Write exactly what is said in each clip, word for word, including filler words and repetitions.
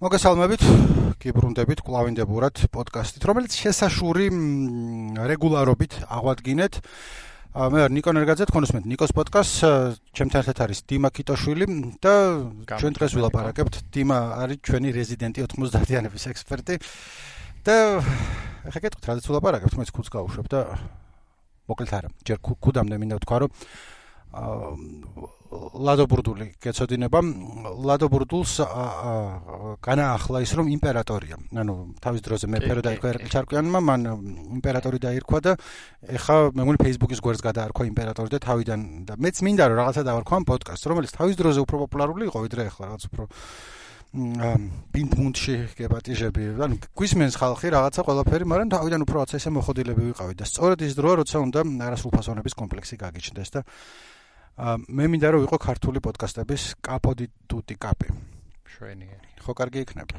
მოგესალმებით, გიბრუნდებით კვლავინდებურად პოდკასტით, რომელიც შესაშური რეგულარობით აღვადგინეთ. მე ვარ ნიკო ნერგაძე, თქვენ უსმენთ ნიკოს პოდკასტს, ჩემთან ერთად არის დიმა ქიტოშვილი და ჩვენ დღეს ვილაპარაკებთ. დიმა არის ჩვენი რეზიდენტი ოთხმოცდაათიანების ექსპერტი და ეხლა გეტყვით, რადგან ვილაპარაკებთ, მე ხუთს გავუშვებ და მოკლედ არა, ჯერ ქუდამდე მინდა ვთქვა, რომ ლადო ბურდული გეცოდინება. ლადო ბურდულს განაახლა ის, რომ იმპერატორია. ანუ თავის დროზე მეფე რო დაირქვა ერაკლი ჩარკვიანმა, მან იმპერატორი დაირქვა და ეხა მე მგონი Facebook-ის გვერდს გადაარქვა იმპერატორი და თავიდან და მეც მინდა რომ რაღაცა დავარქვა ამ პოდკასტს, რომელიც თავის დროზე უფრო პოპულარული იყო, ვიდრე ეხლა რაღაც უფრო პინგ-პონგში გეპატიჟები. ანუ გვისმენს ხალხი რაღაცა ყველაფერი, მაგრამ თავიდან უფრო რაღაცა ესე მოხოდილები ვიყავით და სწორედ ის დროა, როცა უნდა არასრულფასოვნების კომპლექსი გაგიჩნდეს და მე მინდა რომ ვიყო ქართული პოდკასტების კაპოდი ტუტი კაპი. შვენიერი. ხო, კარგი იქნება.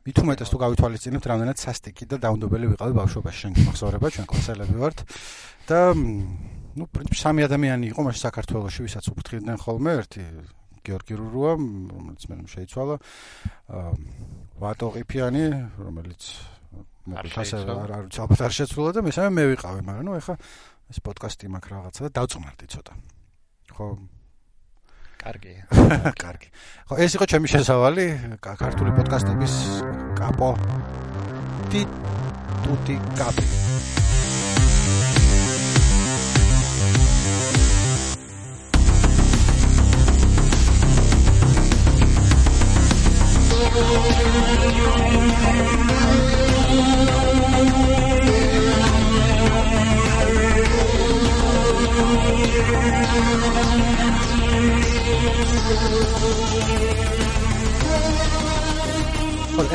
მით უმეტეს თუ გავითვალისწინებთ, რამდენად სასტიკი და დაუნდობელი ვიყავი ბავშვობაში, შენ გიმახსოვრება, ჩვენ კლასელები ვართ და ნუ პრინციპში სამი ადამიანი იყო მაშინ საქართველოში, ვისაც უფრთხილდნენ ხოლმე, ერთი გიორგი რურუა, რომელიც მე შეიცვალა, ვატო ყიფიანი, რომელიც მოკლედ არ არ არ შეცვლა და მესამე მე ვიყავი, მაგრამ ნუ ეხა ეს პოდკასტი მაქვს რაღაცა და დავწმარდი ცოტა. ხო, კარგია. კარგი. ხო, ეს იყო ჩემი შესავალი ქართული პოდკასტების კაპო ტი ტუტი კაპი.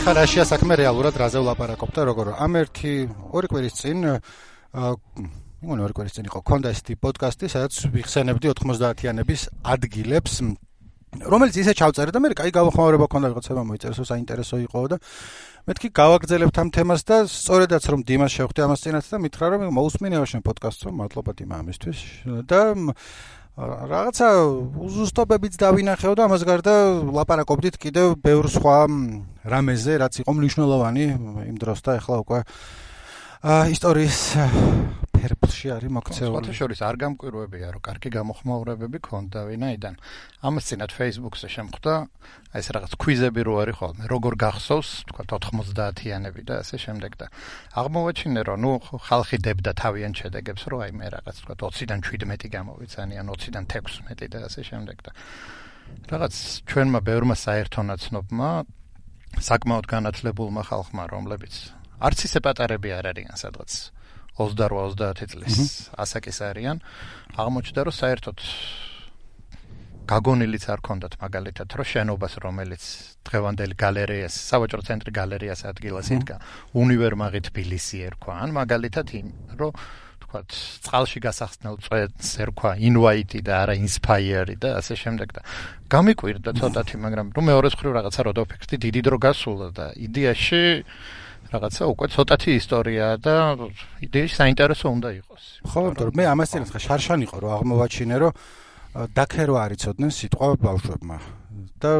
ეხლა რაშია საქმე რეალურად რაზე ვლაპარაკობ და როგორ ამ ერთი ორი კვირის წინ მეგონი ორი კვირის წინ იყო ქონდა ეს პოდკასტი, სადაც ვიხსენებდი ოთხმოცდაათიანების ადგილებს, რომელიც ისე ჩავწერე და მე კაი გავახმაურება ქონდა, ვიღაცებმა მოიწერეს, საინტერესო იყო და მეთქი გავაგრძელებთ ამ თემას და სწორედაც რომ დიმას შევხვდი ამას წინათ და მითხრა რომ მოусმინევა შენ პოდკასტს, მადლობა დიმა ამისთვის და რაღაცა უზუსტობებიც დავინახეო და ამას გარდა ლაპარაკობდით კიდევ ბევრ სხვა რამეზე, რაც იყო მნიშვნელოვანი იმ დროს და ეხლა უკვე ისტორიის ფერფლში არის მოქცეული. სხვათა შორის არ გამკვირვებია, რომ კარგი გამოხმაურებები ქონდა ვინაიდან. ამას წინათ Facebook-ზე შემხვდა, აი ეს რაღაც ქვიზები რო არის ხოლმე, როგორ გახსოვს, თქვათ ოთხმოცდაათიანები და ასე შემდეგ და აღმოვაჩინე, რომ ნუ ხალხი დებდა თავიანთ შედეგებს, რომ აი მე რაღაც თქვათ ოციდან შვიდმეტი გამოვიცანი, ან ოციდან თექვსმეტი და ასე შემდეგ და რაღაც ჩვენმა ბევრმა საერთო ნაცნობმა საკმაოდ განათლებულმა ხალხმა, რომლებიც არც ისე პატარები არ არიან სადღაც ოცდაოთხ ოცდაათი წლის ასაკის არიან, აღმოჩნდა რომ საერთოდ გაგონილიც არ ქონდათ მაგალითად, რომ შენობას, რომელიც დღევანდელი გალერეას, სავაჭრო ცენტრი გალერეას ადგილას იდგა, უნივერმაღი თბილისი ერქვა, ან მაგალითად იმ, რომ თქვათ, წყალში გასახსნელ წვენს ერქვა ინვაიტი და არა ინსპაიერი და ასე შემდეგ და გამიკვირდა ცოტათი, მაგრამ რომ მეორეს მხრივ რაღაცა რო დავფიქრდი, დიდი დრო გასულა და იდეაში რაღაცა უკვე ცოტათი ისტორიაა და იდეაში საინტერესო უნდა იყოს. ხო, იმიტომ რომ მე ამას წინათ ხა შარშან იყო რომ აღმოვაჩინე რომ დაქერო არ იცოდნენ სიტყვა ბავშვებმა და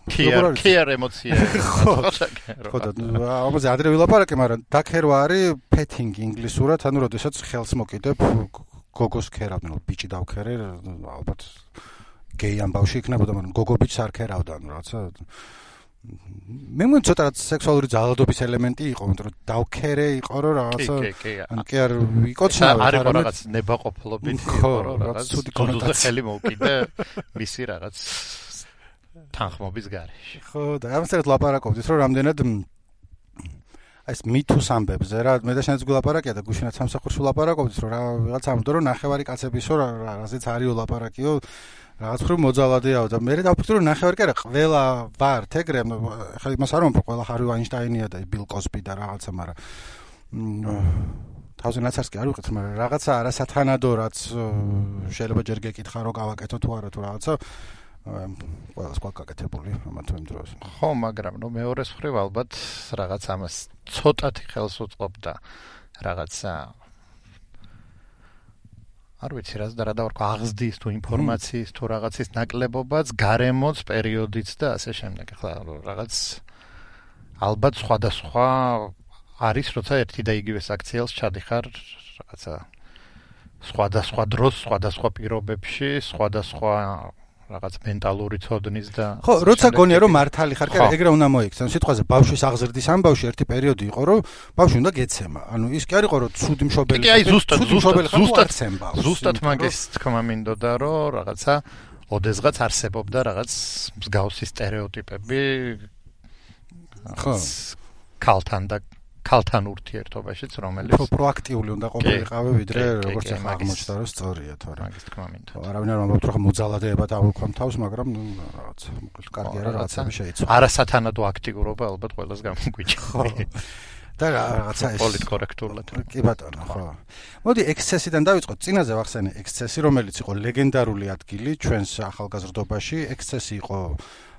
კეარ ემოცია. ხო და ამაზე ადრე ვილაპარაკე, მაგრამ დაქერო არის პეტინგი ინგლისურად, ანუ როდესაც ხელს მოკიდებ გოგოს ქერავდნენ, ბიჭი დავქერე, ალბათ გეი ამბავში იქნებოდა, მაგრამ გოგო ბიჭს არ ქერავდა, ანუ რაღაცა მე მგონი ცოტა სექსუალური ძალადობის ელემენტი იყო, იმიტომ რომ დავქერე იყო რომ რაღაცა ან კი არ იკოცნავ, არ იყო რაღაც ნებაყოფლობით იყო რომ რაღაც ცუდი კონოტაცია ხელი მოუკიდე მისი რაღაც თანხმობის გარეშე. ხო და ამასთან ლაპარაკობდით რომ რამდენად ეს მითუს ამბებზე რა, მე და შენც გულაპარაკია და გუშინაც სამსახურში ლაპარაკობდით რომ რა ვიღაც ამბობდა რომ ნახევარი კაცებისო რაზეც არის ლაპარაკიო რაღაც ხრივ მოძალადეაო და მე დავფიქრე რომ ნახევარი კი არა, ყველა ვართ ეგრე, ხა იმას არ ვამბობ, ყველა ჰარი ვაინშტაინია და ბილ კოსბი და რაღაცა, მაგრამ თავზე ნაცარს კი არ ვიყით, მაგრამ რაღაცა არასათანადო რაც შეიძლება ჯერ გეკითხა რომ გავაკეთო თუ არა თუ რაღაცა ყველას გვაკაკეთებული ამ თუ იმ დროს. ხო, მაგრამ ნუ მეორეს მხრივ ალბათ რაღაც ამას ცოტათი ხელს უწყობდა რაღაცა არ ვიცი რა და რა დავარქვა აღზრდის თუ ინფორმაციის თუ რაღაცის ნაკლებობაც, გარემოც, პერიოდიც და ასე შემდეგ. ხლა რაღაც ალბათ სხვადასხვა არის, როცა ერთი და იგივე საქციელს ჩადიხარ რაღაცა სხვადასხვა დროს, სხვადასხვა პირობებში, სხვადასხვა რაღაც მენტალური ცოდნის და ხო, როცა გონია რომ მართალი ხარ, კი, ეგრე უნდა მოიქცენ. სიტყვაზე ბავშვის აღზრდის ამბავში ერთი პერიოდი იყო, რომ ბავშვი უნდა გეცემა. ანუ ის კი არ იყო, რომ ცუდი მშობელი. კი, აი ზუსტად, ზუსტად, ზუსტად, ზუსტად მაგის თქმა მინდოდა, რომ რაღაცა ოდესღაც არსებობდა რაღაც მსგავსი სტერეოტიპები ხო ქალთან და ქალთან ურთიერთობაშიც, რომელიც უფრო პროაქტიული უნდა ყოფილიყავი, ვიდრე როგორც ახლა აღმოჩნდა, რომ სწორია, თორემ მაგის თქმა მინდოდა. არავინ არ ამბობთ, რომ მოძალადებად აღვიქვამ თავს, მაგრამ ნუ რაღაც კარგი არა რაღაცები შეიცვალა. არასათანადო აქტიურობა ალბათ ყველას გამოგვიჭირდა. ხო. და რაღაცა ეს პოლიტკორექტულად. კი ბატონო, ხო. მოდი ექსცესიდან დავიწყოთ. წინაზე ვახსენე ექსცესი, რომელიც იყო ლეგენდარული ადგილი ჩვენს ახალგაზრდობაში. ექსცესი იყო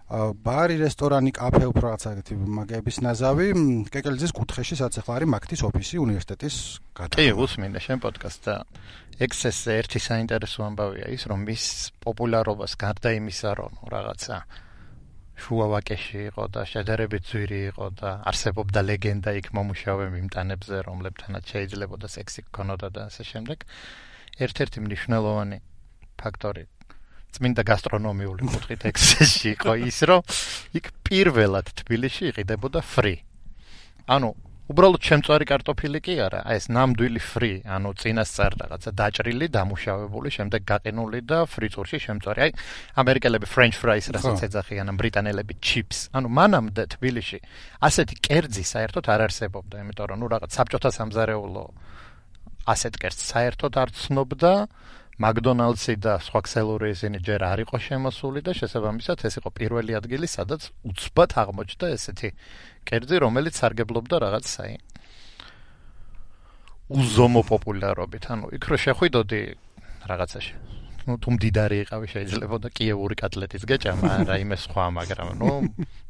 ბარი, რესტორანი, კაფე, უფრო რაღაცა ეგეთი მაგების ნაზავი, კეკელიძის კუთხეში, სადაც ახლა არის მაგთის ოფისი უნივერსიტეტის გადახურვა. კი, უსმინე შენ პოდკასტს და ექსცესზე ერთი საინტერესო ამბავია ის, რომ მის პოპულარობას გარდა იმისა, რომ რაღაცა შუა ვაკეში იყო და შედარებით ძვირი იყო და არსებობდა ლეგენდა იქ მომუშავე მიმტანებზე, რომლებთანაც შეიძლებოდა სექსი გქონოდა და ასე შემდეგ. ერთ-ერთი მნიშვნელოვანი ფაქტორი წმინდა გასტრონომიული კუთხით ექსცესში იყო ის, რომ იქ პირველად თბილისში იყიდებოდა ფრი. ანუ უბრალოდ შემწვარი კარტოფილი კი არა, აი ეს ნამდვილი ფრი, ანუ წინასწარ რაღაცა დაჭრილი, დამუშავებული, შემდეგ გაყინული და ფრიცურში შემწვარი. აი ამერიკელები French fries რასაც ეძახიან, ბრიტანელები chips. ანუ მანამდე თბილისში ასეთი კერძი საერთოდ არ არსებობდა, იმიტომ რომ ნუ რაღაც საბჭოთა სამზარეულო ასეთ კერძს საერთოდ არ ცნობდა. McDonald's-ი და სხვა ქსელური ისინი ჯერ არ იყო შემოსული და შესაბამისად ეს იყო პირველი ადგილი, სადაც უცბად აღმოჩნდა ესეთი კერძი, რომელიც სარგებლობდა რაღაც აი უზომო პოპულარობით. ანუ იქ რო შეხვიდოდი რაღაცაში, ну თუ მდიდარი იყავი შეიძლება და კიევური კატლეტის გეჭამა, რაიმე სხვა, მაგრამ ნუ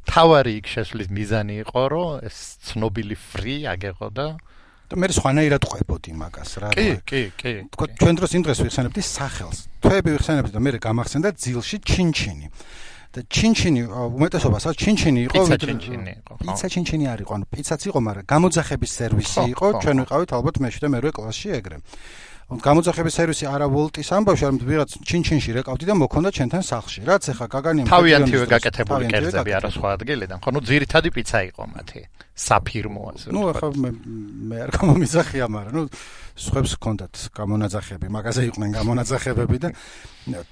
თავარი იქ შესვლის მიზანი იყო, რომ ეს ცნობილი ფრი აგეღო და და მე სხვანაირად ყვებოდი მაგას რა. კი, კი, კი. თქო, ჩვენ დროს იმ დღეს ვიხსენებდი სახელს. თვეები ვიხსენებდი და მე გამახსენდა ძილში ჩინჩინი. და ჩინჩინი უმეტესობას ა ჩინჩინი იყო, პიცა ჩინჩინი იყო. პიცა ჩინჩინი არ იყო, ანუ პიცაც იყო, მაგრამ გამოძახების სერვისი იყო, ჩვენ ვიყავით ალბათ მეშვიდე მერვე კლასში ეგრე. გამოძახების სერვისი არა ვოლტის ამბავში, არამედ ვიღაც ჩინჩინში რეკავდი და მოქონდა ჩვენთან სახლში. რაც ახლა გაგანია თავიანთივე გაკეთებული კერძები არა სხვა ადგილიდან, ხო, ნუ ძირითადი პიცა იყო მათი. საფირმო ასე. ნუ ახლა მე მე არ გამომიზახია, მაგრამ ნუ სხვებს ჰქონდათ გამონაძახები, მაგაზე იყვნენ გამონაძახებები და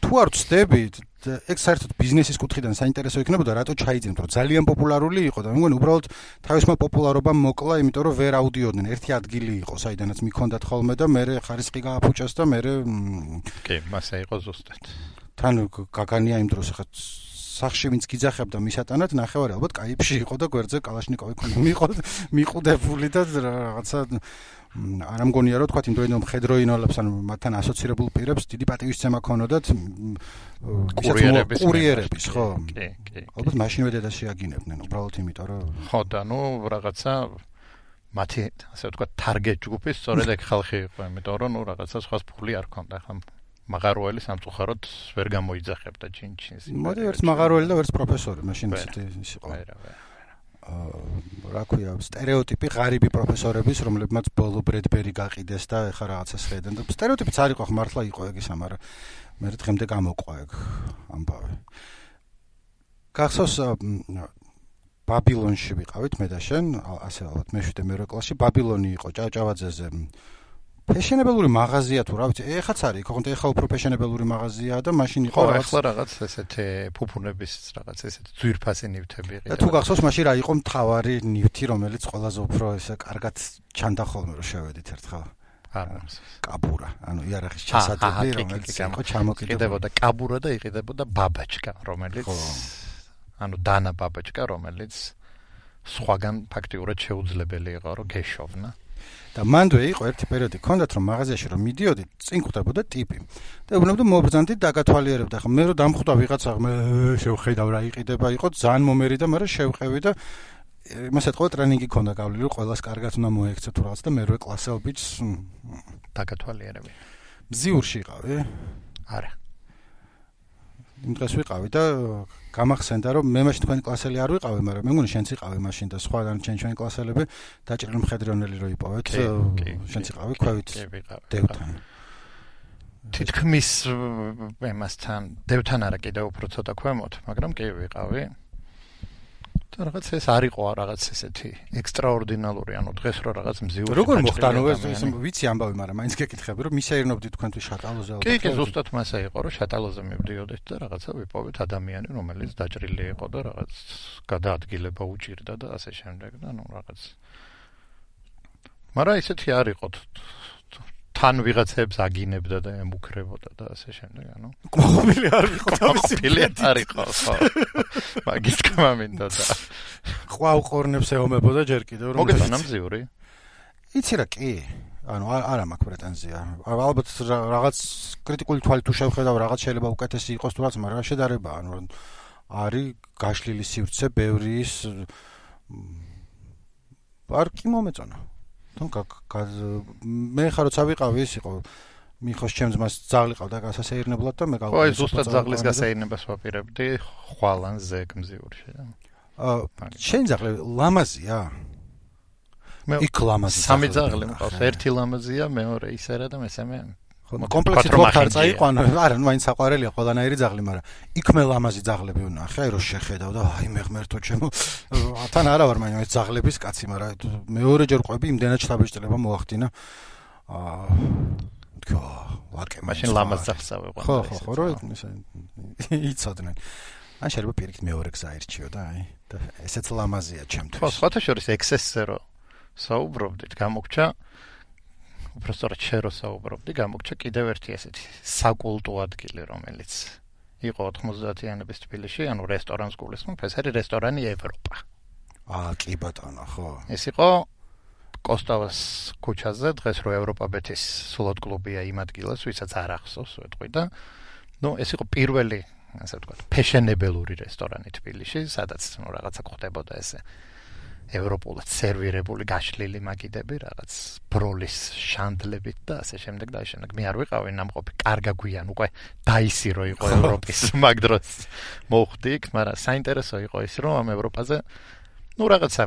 თუ არ ვწდებით, ეგ საერთოდ ბიზნესის კუთხიდან საინტერესო იქნებოდა, რატო ჩაიძინეთ, რომ ძალიან პოპულარული იყო და მე მგონი უბრალოდ თავისმა პოპულარობამ მოკლა, იმიტომ რომ ვერ აუდიოდნენ. ერთი ადგილი იყო, საიდანაც მიქონდათ ხოლმე და მე ხარისხი გააფუჭეს და მე კი, მასე იყო ზუსტად. თან გაგანია იმ დროს ახლა სახში ვინც გიძახებდა მისატანად, ნახევარი ალბათ კაიფში იყო და გვერდზე კალაშნიკოვი ქონდა მიყოდ, მიყუდებული და რაღაცა არ ამგონია რომ თქვა იმ დროინდელ მხედროინოლებს ან მათთან ასოცირებულ პირებს დიდი პატივისცემა ქონოდათ კურიერების კურიერების, ხო? კი, კი. ალბათ მაშინვე დედას შეაგინებდნენ, უბრალოდ იმიტომ რომ ხო და ნუ რაღაცა მათი ასე ვთქვა target ჯგუფი სწორედ ეგ ხალხი იყო, იმიტომ რომ ნუ რაღაცა სხვა ფული არ ქონდა, ხა მაღაროელი სამწუხაროდ ვერ გამოიძახებდა ჩინჩინს. მოდი ვერც მაღაროელი და ვერც პროფესორი, მაშინ ის იყო. ვერა, ვერა. რა ქვია, სტერეოტიპი ღარიბი პროფესორების, რომლებმაც ბოლო ბრედბერი გაყიდეს და ეხა რაღაცას ხედენ და სტერეოტიპიც არ იყო, ხო მართლა იყო ეგ ისა, მაგრამ მე დღემდე გამოყვა ეგ ამბავი. გახსოვს ბაბილონში ვიყავით მე და შენ, ასე ალბათ მეშვიდე მერვე კლასში, ბაბილონი იყო ჭავჭავაძეზე. ფეშენებელური მაღაზია თუ რა ვიცი, ეხაც არის, ხო, ეხა უფრო ფეშენებელური მაღაზიაა და მაშინ იყო რაღაც ხო, ეხლა რაღაც ესეთი ფუფუნების რაღაც ესეთი ძვირფასი ნივთები იყო. და თუ გახსოვს, მაშინ რა იყო მთავარი ნივთი, რომელიც ყველაზე უფრო ესე კარგად ჩანდა ხოლმე რომ შევედით ერთხელ? არ მახსოვს. კაბურა, ანუ იარაღის ჩასატები, რომელიც იყო ჩამოკიდებული. იყიდებოდა კაბურა და იყიდებოდა ბაბაჩკა, რომელიც ანუ დანა ბაბაჩკა, რომელიც სხვაგან ფაქტიურად შეუძლებელი იყო რომ გეშოვნა. და მანდვე იყო ერთი პერიოდი, ქონდათ რომ მაღაზიაში რომ მიდიოდით, წინ ხვდებოდა ტიპი. და უბრალოდ მობრძანდით დაგათვალიერებდა, ხა მე რომ დამხვდა ვიღაცა, მე შევხედავ რა იყიდება, იყო ძალიან მომერი და მაგრამ შევყევი და იმას ეთქვა ტრენინგი ქონდა გავლილი, რომ ყველას კარგად უნდა მოექცე თუ რაღაც და მერვე კლასელ ბიჭს დაგათვალიერები. მზიურში იყავი? არა. იმ დღეს ვიყავი და გამახსენდა რომ მე მაშინ თქვენი კლასელი არ ვიყავი, მაგრამ მე მგონი შენც იყავი მაშინ და სხვა დანარჩენი ჩვენი კლასელები დაჭრილი მხედრიონელი რო იპოვეთ, შენც იყავი ქვევით დევთან. თითქმის ემასთან დევთან არა კიდევ უფრო ცოტა ქვემოთ, მაგრამ კი ვიყავი. და რაღაც ეს არ იყო რაღაც ესეთი ექსტრაორდინალური, ანუ დღეს რო რაღაც მზიური. როგორ მოხდა, ანუ ეს ვიცი ამბავი, მაგრამ მაინც გეკითხები, რომ მისეირნობდით თქვენთვის შატალოზე ალბათ. კი, კი, ზუსტად მასე იყო, რომ შატალოზე მივდიოდით და რაღაცა ვიპოვეთ ადამიანი, რომელიც დაჭრილი იყო და რაღაც გადაადგილება უჭირდა და ასე შემდეგ და ნუ რაღაც. მაგრამ ისეთი არ იყო. თან ვიღაცებს აგინებდა და ემუქრებოდა და ასე შემდეგ, ანუ ყოფილი არ იყო თავისი ყოფილი არ იყო, ხო. მაგის თქმა მინდა და ყვავ ყორნებს ეომებოდა ჯერ კიდევ რომ მოგეწონა მზიური? იცი რა, კი. ანუ არა მაქვს პრეტენზია. ალბათ რაღაც კრიტიკული თვალით თუ შევხედავ, რაღაც შეიძლება უკეთესი იყოს თუ რაღაც, მაგრამ შედარება, ანუ არის გაშლილი სივრცე, ბევრი ის არ კი მომეწონა. მე ხა როცა ვიყავი ის იყო მიხოს ჩემს მას ძაღლი ყავდა გასასეირნებლად და მე გავყავი. ხო, ეს ზუსტად ძაღლის გასაეირნებას ვაპირებდი ხვალანზე გმზიური შეიძლება. აა შენ ძაღლი ლამაზია? მე იქ ლამაზი. სამი ძაღლი მყავს, ერთი ლამაზია, მეორე ისერა და მესამე კომპლექსით ვახარ წაიყვანო. არა, ნუ მაინც საყვარელია ყველანაირი ძაღლი, მაგრამ იქ მე ლამაზი ძაღლები ვნახე, აი რომ შეხედავ და აი მე ღმერთო ჩემო. თან არა ვარ მაინც ძაღლების კაცი, მაგრამ მეორეჯერ ყვები იმდენად შთაბეჭდილება მოახდინა. აა თქო, ვაკე მაშინ ლამაზ ძაღლს ავიყვანე. ხო, ხო, ხო, რო იცოდნენ. ან შეიძლება პირიქით მეორე გზა ერჩიო და აი და ესეც ლამაზია ჩემთვის. ხო, სხვათა შორის ექსესზე რო საუბრობდით, გამოგჩა უბრალოდ შერო საუბრობდი, გამოგჩა კიდევ ერთი ესეთი საკულტო ადგილი, რომელიც იყო ოთხმოცდაათიანების თბილისში, ანუ რესტორანს გულისხმობ, ეს არის რესტორანი ევროპა. აა, კი ბატონო, ხო. ეს იყო კოსტავას ქუჩაზე, დღეს რო ევროპაბეთის სლოტ კლუბია იმ ადგილას, ვისაც არ ახსოვს ვეტყვი და ნუ ეს იყო პირველი, ასე ვთქვათ, ფეშენებელური რესტორანი თბილისში, სადაც ნუ რაღაცა ხდებოდა ესე. ევროპულად სერვირებული გაშლილი მაგიდები, რაღაც ბროლის შანდლებით და ასე შემდეგ და შემდეგ. მე არ ვიყავი ნამყოფი, კარგა გვიან უკვე დაისირო იყო ევროპის მაგ დროს მოხდი იქ, მაგრამ საინტერესო იყო ის, რომ ამ ევროპაზე ნუ რაღაცა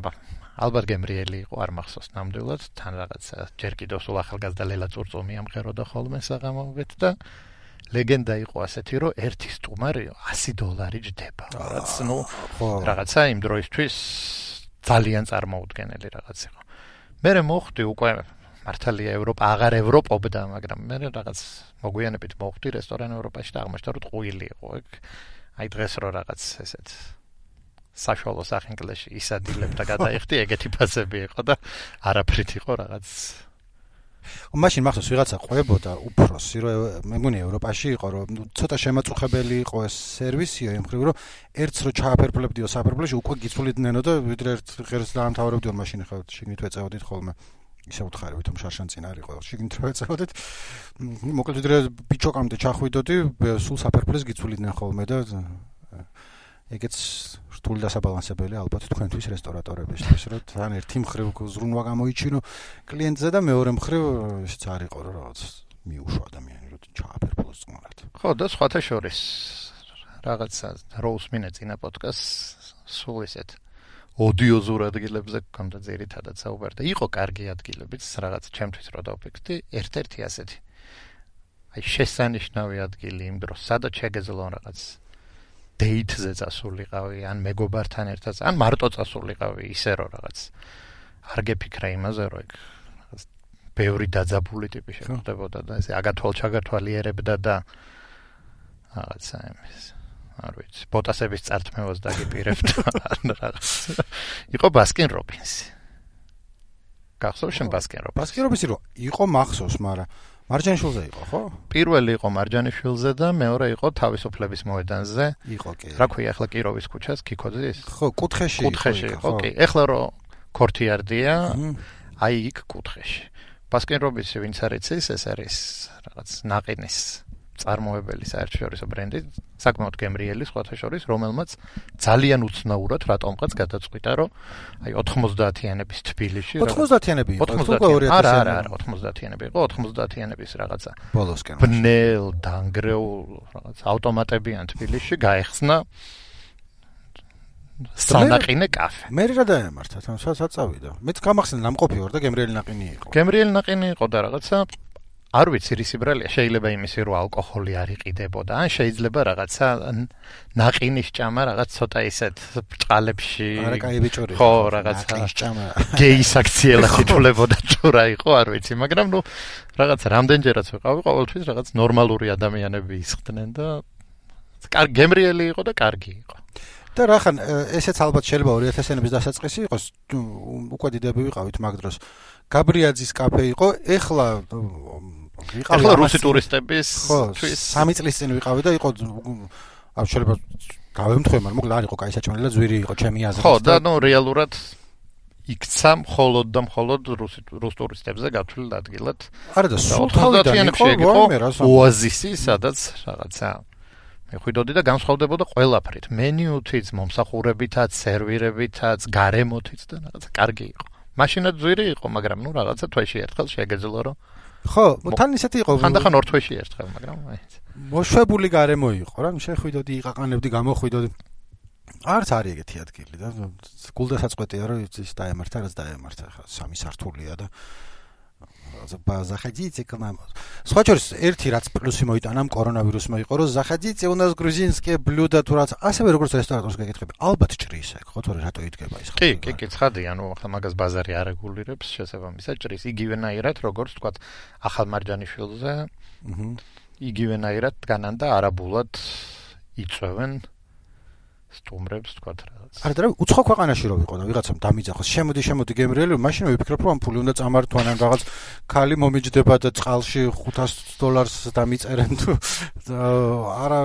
ალბათ გემრიელი იყო, არ მახსოვს ნამდვილად, თან რაღაცა ჯერ კიდევ სულ ახალგაზრდა ლელა წურწუმი ამღეროდა ხოლმე საღამოობით და ლეგენდა იყო ასეთი, რომ ერთი სტუმარი ასი დოლარი ჯდება. რაც ნუ რაღაცა იმ დროისთვის ძალიან წარმოუდგენელი რაღაც იყო. მე მოხდი უკვე მართალია ევროპა აღარ ევროპობდა, მაგრამ მე რაღაც მოგვიანებით მოხდი რესტორან ევროპაში და აღმოჩნდა რომ ტყუილი იყო ეგ. აი დღეს რო რაღაც ესეთ საშუალო სახინკლეში ისადილებ და გადაიხდი, ეგეთი ფასები იყო და არაფრით იყო რაღაც. მაშინ მახსოვს ვიღაცა ყვებოდა უფროსი, რომ მე მგონი ევროპაში იყო, რომ ცოტა შემაწუხებელი იყო ეს სერვისიო, იმ ხრივ რომ ერთს რო ჩააფერფლებდიო საფერფლეში უკვე გიცვლიდნენ და ვიდრე ერთ ღერს დაამთავრებდიო მაშინ ხა შიგნით ვეწევოდით ხოლმე. ისე უთხარი ვითომ შარშან წინ არ იყო შიგნით რო ვეწევოდით. მოკლედ ვიდრე ბიჭოკამდე ჩახვიდოდი, სულ საფერფლეს გიცვლიდნენ ხოლმე და ეგეც რთული დასაბალანსებელი ალბათ თქვენთვის რესტორატორებისთვის, რომ თან ერთი მხრივ ზრუნვა გამოიჩინო კლიენტზე და მეორე მხრივ ისიც არ იყო რომ რაღაც მიუშვა ადამიანი რომ ჩააფერფლოს წყნარად. ხო, და სხვათა შორის რაღაცა როუს მინე წინა პოდკასტს სულ ისეთ ოდიოზურ ადგილებზე გქონდა ძირითადად საუბარი და იყო კარგი ადგილებიც, რაღაც ჩემთვის რო დავფიქრდი, ერთ-ერთი ასეთი. აი შესანიშნავი ადგილი იმ დროს, სადაც შეგეძლო რაღაც დეითზე წასულიყავი, ან მეგობართან ერთად, ან მარტო წასულიყავი, ისე რომ რაღაც არ გეფიქრა იმაზე, რომ ეგ ბევრი დაძაბული ტიპი შეხვდებოდა და ესე აგათვალ-ჩაგათვალიერებდა და რაღაცა იმის, არ ვიცი, ბოტასების წართმევას დაგიპირებდა ან რაღაც. იყო ბასკინ რობინსი. გახსოვს შენ ბასკინ რობინსი? ბასკინ რობინსი რო იყო მახსოვს, მაგრამ მარჯანიშვილზე იყო, ხო? პირველი იყო მარჯანიშვილზე და მეორე იყო თავისუფლების მოედანზე. იყო კი. რა ქვია ახლა კიროვის ქუჩას, კიქოძის? ხო, კუთხეში. კუთხეში იყო, კი. ახლა რო ქორთიარდია, აი იქ კუთხეში. ბასკინ რობინსი ვინც არ იცის, ეს არის რაღაც ნაყინის წარმოებელი საერთაშორისო ბრენდი, საკმაოდ გემრიელი სხვათა შორის, რომელმაც ძალიან უცნაურად რატომღაც გადაწყვიტა, რომ აი ოთხმოცდაათიანების თბილისში ოთხმოცდაათიანები იყო, არა, არა, არა, ოთხმოცდაათიანები იყო, ოთხმოცდაათიანების რაღაცა. ბოლოსკენ. ბნელ, დანგრეულ რაღაც ავტომატებიან თბილისში გაეხსნა სანაყინე კაფე. მე რა დაემართა, თან სადაც წავიდა. მეც გამახსენე ნამყოფი ვარ და გემრიელი ნაყინი იყო. გემრიელი ნაყინი იყო და რაღაცა არ ვიცი რის იბრალია, შეიძლება იმისი რომ ალკოჰოლი არ იყიდებოდა, ან შეიძლება რაღაცა ნაყინის ჭამა რაღაც ცოტა ისეთ ბრჭყალებში. არა, კაი ბიჭური. ხო, რაღაცა ნაყინის ჭამა. გეის აქციელად ითვლებოდა თუ რა იყო, არ ვიცი, მაგრამ ნუ რაღაცა რამდენჯერაც ვიყავი, ყოველთვის რაღაც ნორმალური ადამიანები ისხდნენ და კარგი გემრიელი იყო და კარგი იყო. და რახან ესეც ალბათ შეიძლება ორი ათასიანების დასაწყისი იყოს, უკვე დიდები ვიყავით მაგ დროს. გაბრიაძის კაფე იყო, ეხლა ვიყავი ეხლა რუსი ტურისტების თვის სამი წლის წინ ვიყავი და იყო არ შეიძლება გავემთხვე, მაგრამ მოკლედ არ იყო კაი საჭმელი და ზვირი იყო ჩემი აზრით. ხო, და ნუ რეალურად იქცა მხოლოდ და მხოლოდ რუსი რუს ტურისტებზე გათვლილ ადგილად. არა და სულ თავიდან იყო ოაზისი, სადაც რაღაცა მეხვიდოდი და განსხვავდებოდა ყველაფრით, მენიუთიც, მომსახურებითაც, სერვირებითაც, გარემოთიც და რაღაცა კარგი იყო. მაშინაც ზვირი იყო, მაგრამ ნუ რაღაცა თვეში ერთხელ შეგეძლო რომ ხო, თან ისეთი იყო. ხანდახან ორ თვეში ერთხელ, მაგრამ აიც. მოშვებული გარემო იყო რა, შეხვიდოდი, იყაყანებდი, გამოხვიდოდი. არც არის ეგეთი ადგილი და გულდასაწყვეტია რომ ის დაემართა, რაც დაემართა, ხა სამი სართულია და заходите к нам. სხვა შორის ერთი რაც პლუსი მოიტანა კორონავირუსმა იყო, რომ заходите, у нас грузинские блюда, თუ რაც ასევე როგორც რესტორანს გეკითხები, ალბათ ჭრის ეგ, ხო, თორე რატო იდგება ის ხა. კი, კი, კი, ცხადია, ანუ ახლა მაგას ბაზარი არ რეგულირებს შესაბამისად ჭრის იგივენაირად, როგორც თქვა ახალმარჯანიშვილზე. აჰა. იგივენაირად დგანან და არაბულად იწვევენ სტუმრებს თქვა რაღაც. არა და უცხო ქვეყანაში რო ვიყო და ვიღაცამ დამიძახოს, შემოდი, შემოდი გემრიელი, მაშინ ვიფიქრებ რომ ამ ფული უნდა წამართვან ან რაღაც ქალი მომიჯდება და წყალში ხუთას დოლარს დამიწერენ თუ არა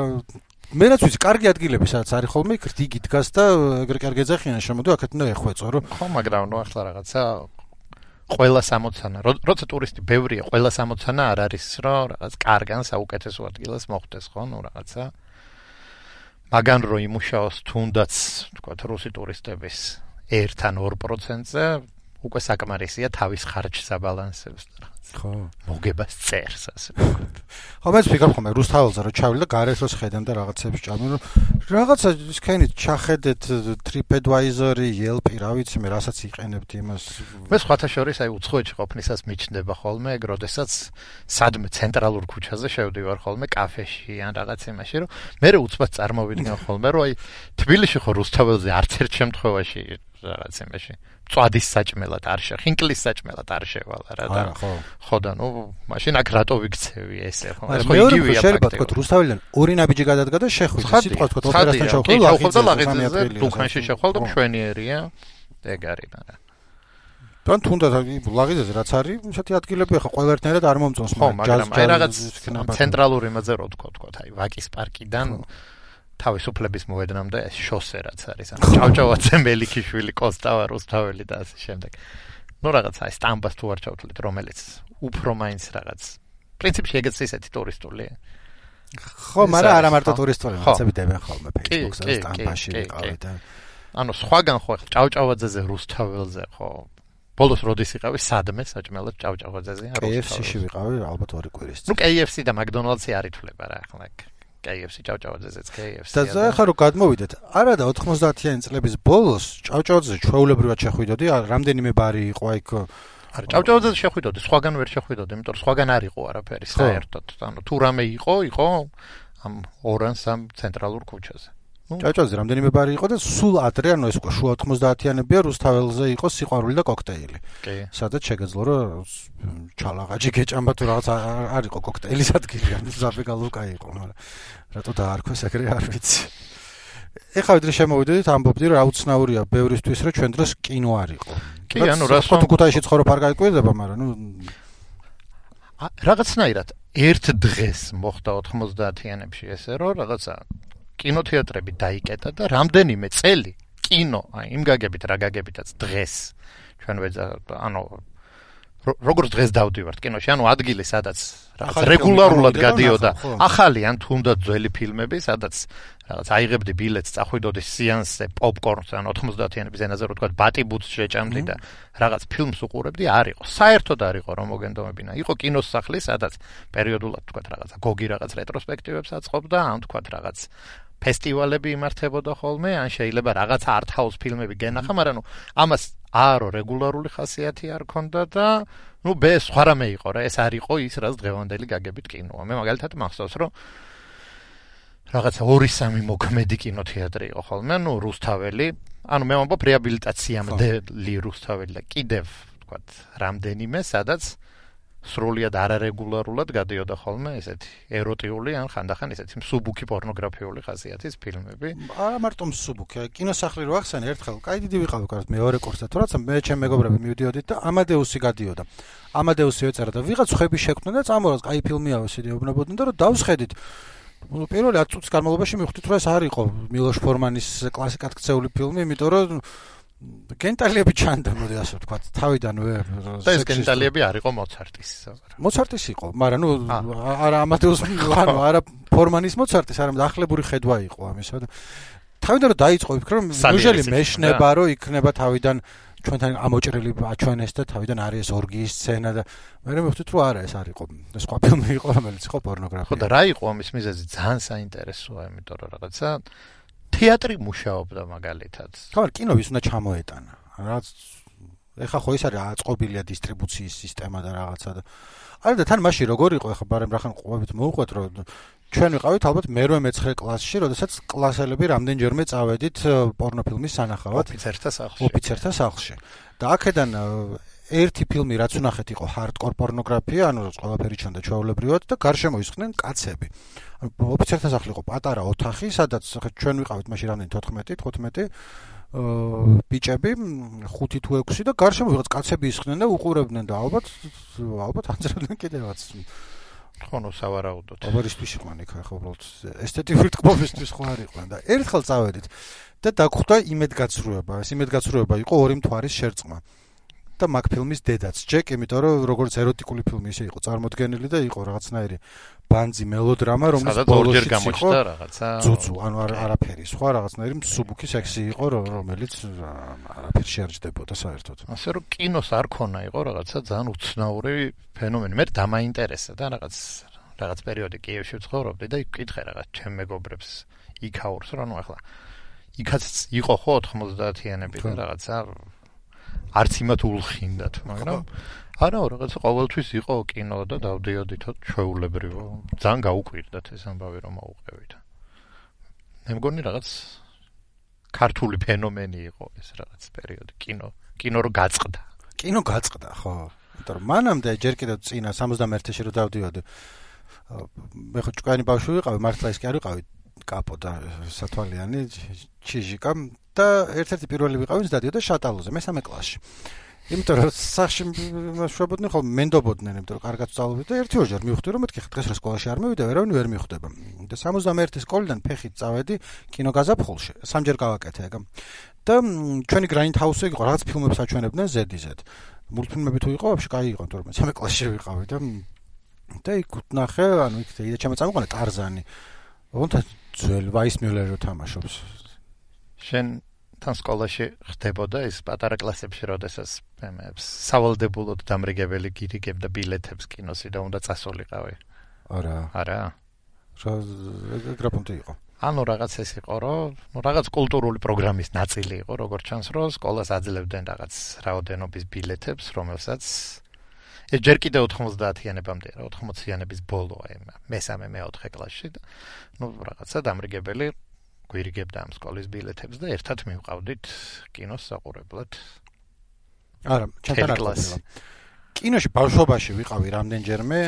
მე რაც ვიცი, კარგი ადგილები სადაც არის ხოლმე, იქ რიგი დგას და ეგრე კარგი ეძახიან, შემოდი აქეთ უნდა ეხვეწო რომ ხო, მაგრამ ნუ ახლა რაღაცა ყველა სამოცანა, როცა ტურისტი ბევრია, ყველა სამოცანა არ არის რომ რაღაც კარგან საუკეთესო ადგილას მოხვდეს, ხო, ნუ რაღაცა მაგან რო იმუშაოს თუნდაც თქვა რუსი ტურისტების ერთ ან ორ პროცენტზე უკვე საკმარისია თავის ხარჯს აბალანსებს და რაღაც ხო მოგებას წერს ასე ხო მეც ვფიქრობ ხოლმე რუსთაველზე რომ ჩავილი და გარეთ რო შეხედან და რაღაცებს ჭამენ რომ რაღაცა ისქენით ჩახედეთ TripAdvisor-ი, Yelp-ი, რა ვიცი მე რასაც იყენებთ იმას მე სხვათა შორის აი უცხოეთში ყოფნისას მიჩნდება ხოლმე ეგ როდესაც სადმე ცენტრალურ ქუჩაზე შევდივარ ხოლმე კაფეში ან რაღაც იმაში რომ მე უცბად წარმოვიდგენ ხოლმე რომ აი თბილისში ხო რუსთაველზე არც ერთ შემთხვევაში რაღაც იმაში წვადის საჭმელად არ შე, ხინკლის საჭმელად არ შევალა რა და ხო და ნუ მაშინ აქ რატო ვიქცევი ესე ხო ეს ხო იგივეა შეიძლება თქო რუსთაველიდან ორი ნაბიჯი გადადგა და შეხვიდა სიტყვა თქო ოპერასთან შევხვდა ლაღიძეზე დუქანში შევხვდა მშვენიერია ეგ არის მაგრამ თან თუნდაც ლაღიძეზე რაც არის ისეთი ადგილები ხო ყველაერთნაირად არ მომწონს მაგრამ აი რაღაც ცენტრალური იმაზე რო თქო თქო აი ვაკის პარკიდან თავისუფლების მოედნამდე ეს შოსე რაც არის ანუ ჭავჭავაძე მელიქიშვილი კოსტავა რუსთაველი და ასე შემდეგ ნუ რაღაც აი სტამბას თუ არ ჩავთვლით რომელიც უფრო მაინც რაღაც პრინციპში ეგეც ისეთი ტურისტულია ხო მაგრამ არა მარტო ტურისტული რაღაცები დებენ ხოლმე Facebook-ზე სტამბაში ვიყავი და ანუ სხვაგან ხო ჭავჭავაძეზე რუსთაველზე ხო ბოლოს როდის იყავი სადმე საჭმელად ჭავჭავაძეზე რუსთაველზე კეი ეფ სი-ში ვიყავი ალბათ ორი კვირის წინ ნუ კეი ეფ სი და მაკდონალდსი არ ითვლება რა ახლა კეი ეფ სი ჭავჭავაძეზეც კეი ეფ სი და ახლა რო გადმოვიდეთ არა და ოთხმოცდაათიანი წლების ბოლოს ჭავჭავაძეზე ჩვეულებრივად შეხვიდოდი რამდენიმე ბარი იყო იქ არა ჭავჭავაძეზე შეხვიდოდი სხვაგან ვერ შეხვიდოდი იმიტომ რომ სხვაგან არ იყო არაფერი საერთოდ ანუ თუ რამე იყო იყო ამ ორ ან სამ ცენტრალურ ქუჩაზე ჭავჭავაძეზე რამდენიმე ბარი იყო და სულ ადრე ანუ ეს უკვე შუა ოთხმოცდაათიანებია რუსთაველზე იყო სიყვარული და კოქტეილი სადაც შეგეძლო რომ ჩალაღაჯი გეჭამბა თუ რაღაც არ იყო კოქტეილის ადგილი ანუ ზაფეგალუკა იყო მაგრამ რატო დაარქვეს ეგრე არ ვიცი ეხლა ვიდრე შემოვიდოდით ამბობდი რომ აუცნაურია ბევრისთვის რომ ჩვენ დროს კინო არ იყო კი ანუ რას თუ ქუთაისში ცხოვრობ არ გაიკვირდება მაგრამ ნუ რაღაცნაირად ერთ დღეს მოხდა ოთხმოცდაათიანებში ესე რომ რაღაცა კინოთეატრები დაიკეტა და რამდენიმე წელი კინო, აი იმ გაგებით რა გაგებითაც დღეს ჩვენ ვეძა ანუ როგორც დღეს დავდივართ კინოში, ანუ ადგილი, სადაც რაღაც რეგულარულად გადიოდა, ახალი ან თუნდაც ძველი ფილმები, სადაც რაღაც აიღებდი ბილეთს, წახვიდოდი სეანსზე, პოპკორნს, ან ოთხმოცდაათიანების ენაზე რო თქვა, ბატიბუც შეჭამდი და რაღაც ფილმს უყურებდი, არ იყო. საერთოდ არ იყო, რომ მოგენდომებინა. იყო კინოს სახლი, სადაც პერიოდულად თქვა რაღაცა გოგი რაღაც რეტროსპექტივებს აწყობდა, ან თქვა რაღაც ფესტივალები იმართებოდა ხოლმე, ან შეიძლება რაღაც art house ფილმები გენახა, მაგრამ ნუ ამას არო რეგულარული ხასიათი არ ქონდა და ნუ ბე სხვა რამე იყო რა, ეს არ იყო ის, რაც დღევანდელი გაგებით კინოა. მე მაგალითად მახსოვს, რომ რაღაცა ორი სამი მოქმედი კინოთეატრი იყო ხოლმე, ნუ რუსთაველი, ანუ მე ვამბობ რეაბილიტაციამდე რუსთაველი და კიდევ თქვათ რამდენიმე, სადაც სრულიად არარეგულარულად გადიოდა ხოლმე ესეთი ეროტიული ან ხანდახან ესეთი მსუბუქი პორნოგრაფიული ხასიათის ფილმები. არა მარტო მსუბუქი, კინოსახლი რო ახსენე ერთხელ, კაი დიდი ვიყავი კარგად მეორე კურსზე, თორემ მე ჩემ მეგობრები მივდიოდით და ამადეუსი გადიოდა. ამადეუსი ეწერა და ვიღაც ხები შექმნა და წამორას კაი ფილმია ისე ეუბნებოდნენ და რომ დავსხედით. პირველი ათ წუთის განმავლობაში მივხვდით რომ ეს არ იყო მილოშ ფორმანის კლასიკად ქცეული ფილმი, იმიტომ რომ გენტალიები ჩანდა, მოდი ასე ვთქვა, თავიდანვე. და ეს გენტალიები არ იყო მოცარტის. მოცარტის იყო, მაგრამ ნუ არა ამადეუს, ანუ არა ფორმანის მოცარტის, არამედ ახლებური ხედვა იყო ამისა და თავიდან რომ დაიწყო ვფიქრე რომ უჟელი მეშნება რომ იქნება თავიდან ჩვენთან ამოჭრილი აჩვენეს და თავიდან არის ორგიის სცენა და მე მივხვდით რომ არა ეს არ იყო. ეს სხვა ფილმი იყო, რომელიც იყო პორნოგრაფია. ხო და რა იყო ამის მიზეზი? ძალიან საინტერესოა, იმიტომ რომ რაღაცა თეატრი მუშაობდა მაგალითად. ხო, კინოვის უნდა ჩამოეტანა. რაც ეხა ხო ის არის აწყობილია დისტრიბუციის სისტემა და რაღაცა და არა და თან მაშინ როგორ იყო ეხა ბარემ რახან ყვებით მოუყვეთ რომ ჩვენ ვიყავით ალბათ მერვე მეცხრე კლასში, როდესაც კლასელები რამდენჯერმე წავედით პორნოფილმის სანახავად ოფიცერთა სახლში. ოფიცერთა სახლში. და აქედან ერთი ფილმი რაც ვნახეთ იყო ჰარდკორ პორნოგრაფია, ანუ რაც ყველაფერი ჩანდა ჩვეულებრივად და გარშემო ისხდნენ კაცები. ოფიცერთა სახლი იყო პატარა ოთახი, სადაც ჩვენ ვიყავით მაშინ რამდენი თოთხმეტი, თხუთმეტი ბიჭები, ხუთი თუ ექვსი და გარშემო ვიღაც კაცები ისხდნენ და უყურებდნენ და ალბათ ალბათ ანძრევდნენ კიდევაც. ხონო სავარაუდოდ. აბარისთვის იყვნენ იქ ახლა უბრალოდ ესთეტიკური თქმობისთვის ხო არ იყვნენ და ერთხელ წავედით და დაგხვდა იმედგაცრუება. ეს იმედგაცრუება იყო ორი მთვარის შერწყმა. და მაგ ფილმის დედაც ჯეკ, იმიტომ რომ როგორც ეროტიკული ფილმი ისე იყო წარმოდგენილი და იყო რაღაცნაირი ბანძი მელოდრამა, რომელიც ბოლოში გამოჩნდა რაღაცა. ძუძუ, ანუ არაფერი, სხვა რაღაცნაირი მსუბუქი სექსი იყო, რომელიც არაფერი შეარჯდებოდა საერთოდ. ასე რომ კინოს არ ქონა იყო რაღაცა ძალიან უცნაური ფენომენი. მე დამაინტერესა და რაღაც რაღაც პერიოდი კიევში ვცხოვრობდი და ვკითხე რაღაც ჩემ მეგობრებს იქაურს, რა ნუ ახლა იქაც იყო ხო ოთხმოცდაათიანები და რაღაცა არც იმათ ულხინდათ, მაგრამ არა, რაღაცა ყოველთვის იყო კინო და დავდიოდითო ჩვეულებრივო. ძალიან გაუკვირდათ ეს ამბავი რომ მოუყევით. მე მგონი რაღაც ქართული ფენომენი იყო ეს რაღაც პერიოდი კინო, კინო რო გაწყდა. კინო გაწყდა, ხო. იმიტომ რომ მანამდე ჯერ კიდევ წინა სამოცდამეერთეში რო დავდიოდი. მე ხო ჭკვიანი ბავშვი ვიყავი, მართლა ის კი არ ვიყავი კაპო და სათვალიანი ჩიჟიკა და ერთ-ერთი პირველი ვიყავი, ვინც დადიოდა შატალოზე, მესამე კლასში. იმიტომ რომ სახში მშვებოდნენ ხოლმე, მენდობოდნენ, იმიტომ რომ კარგად ვსწავლობდი და ერთი ორჯერ მივხვდი რომ მეთქი დღეს რა სკოლაში არ მივიდა, ვერავინ ვერ მიხვდება. და სამოცდამეერთი სკოლიდან ფეხით წავედი კინოგაზაფხულში, სამჯერ გავაკეთე ეგ. და ჩვენი გრაინდჰაუსი იყო, რაღაც ფილმებს აჩვენებდნენ ზედიზედ. მულტფილმები თუ იყო, ვაფშე კაი იყო, იმიტომ რომ მესამე კლასში ვიყავი და და იქ ვნახე, ანუ იქ იდა ჩემო წამოყანა ტარზანი. ოღონდ ძველ ვაის მიულერო თამაშობს. შენ თან სკოლაში ხდებოდა ეს პატარა კლასებში, როდესაც სავალდებულოდ დამრიგებელი გირიგებდა ბილეთებს კინოსი და უნდა წასულიყავი. არა. არა. რა გრაფონტი იყო. ანუ რაღაც ეს იყო, რომ ნუ რაღაც კულტურული პროგრამის ნაწილი იყო, როგორც ჩანს, რომ სკოლას აძლევდნენ რაღაც რაოდენობის ბილეთებს, რომელსაც ეს ჯერ კიდევ ოთხმოცდაათიანებამდე რა, ოთხმოციანების ბოლოა იმ მესამე მეოთხე კლასში და ნუ რაღაცა დამრიგებელი გვირიგებდა ამ სკოლის ბილეთებს და ერთად მივყავდით კინოს საყურებლად. არა, ჩემთან არ ყოფილა. კინოში ბავშვობაში ვიყავი რამდენჯერმე,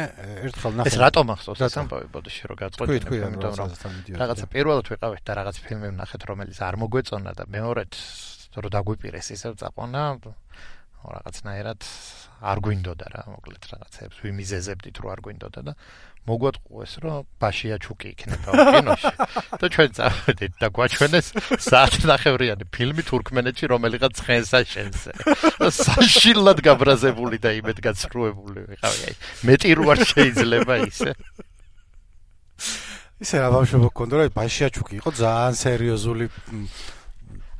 ერთხელ ნახე. ეს რატომ ახსოვს ეს ამბავი ბოდიში რომ გაწყობდი, იმიტომ რომ რაღაცა პირველად ვიყავით და რაღაც ფილმი ვნახეთ, რომელიც არ მოგვეწონა და მეორედ რომ დაგვიპირეს ისევ წაყვანა რაღაცნაირად არ გვინდოდა რა, მოკლედ რაღაცებს ვიმიზეზებდით რომ არ გვინდოდა და მოგვატყუეს რომ ბაშია ჩუკი იქნება კინოში და ჩვენ წავედით და გვაჩვენეს საათნახევრიანი ფილმი თურქმენეთში რომელიღაც ცხენსაშენზე საშილად გაბრაზებული და იმედგაცრუებული ვიყავი აი მეტი რო არ შეიძლება ისე ისე რა ბავშვობა გქონდა რა ბაშია ჩუკი იყო ძალიან სერიოზული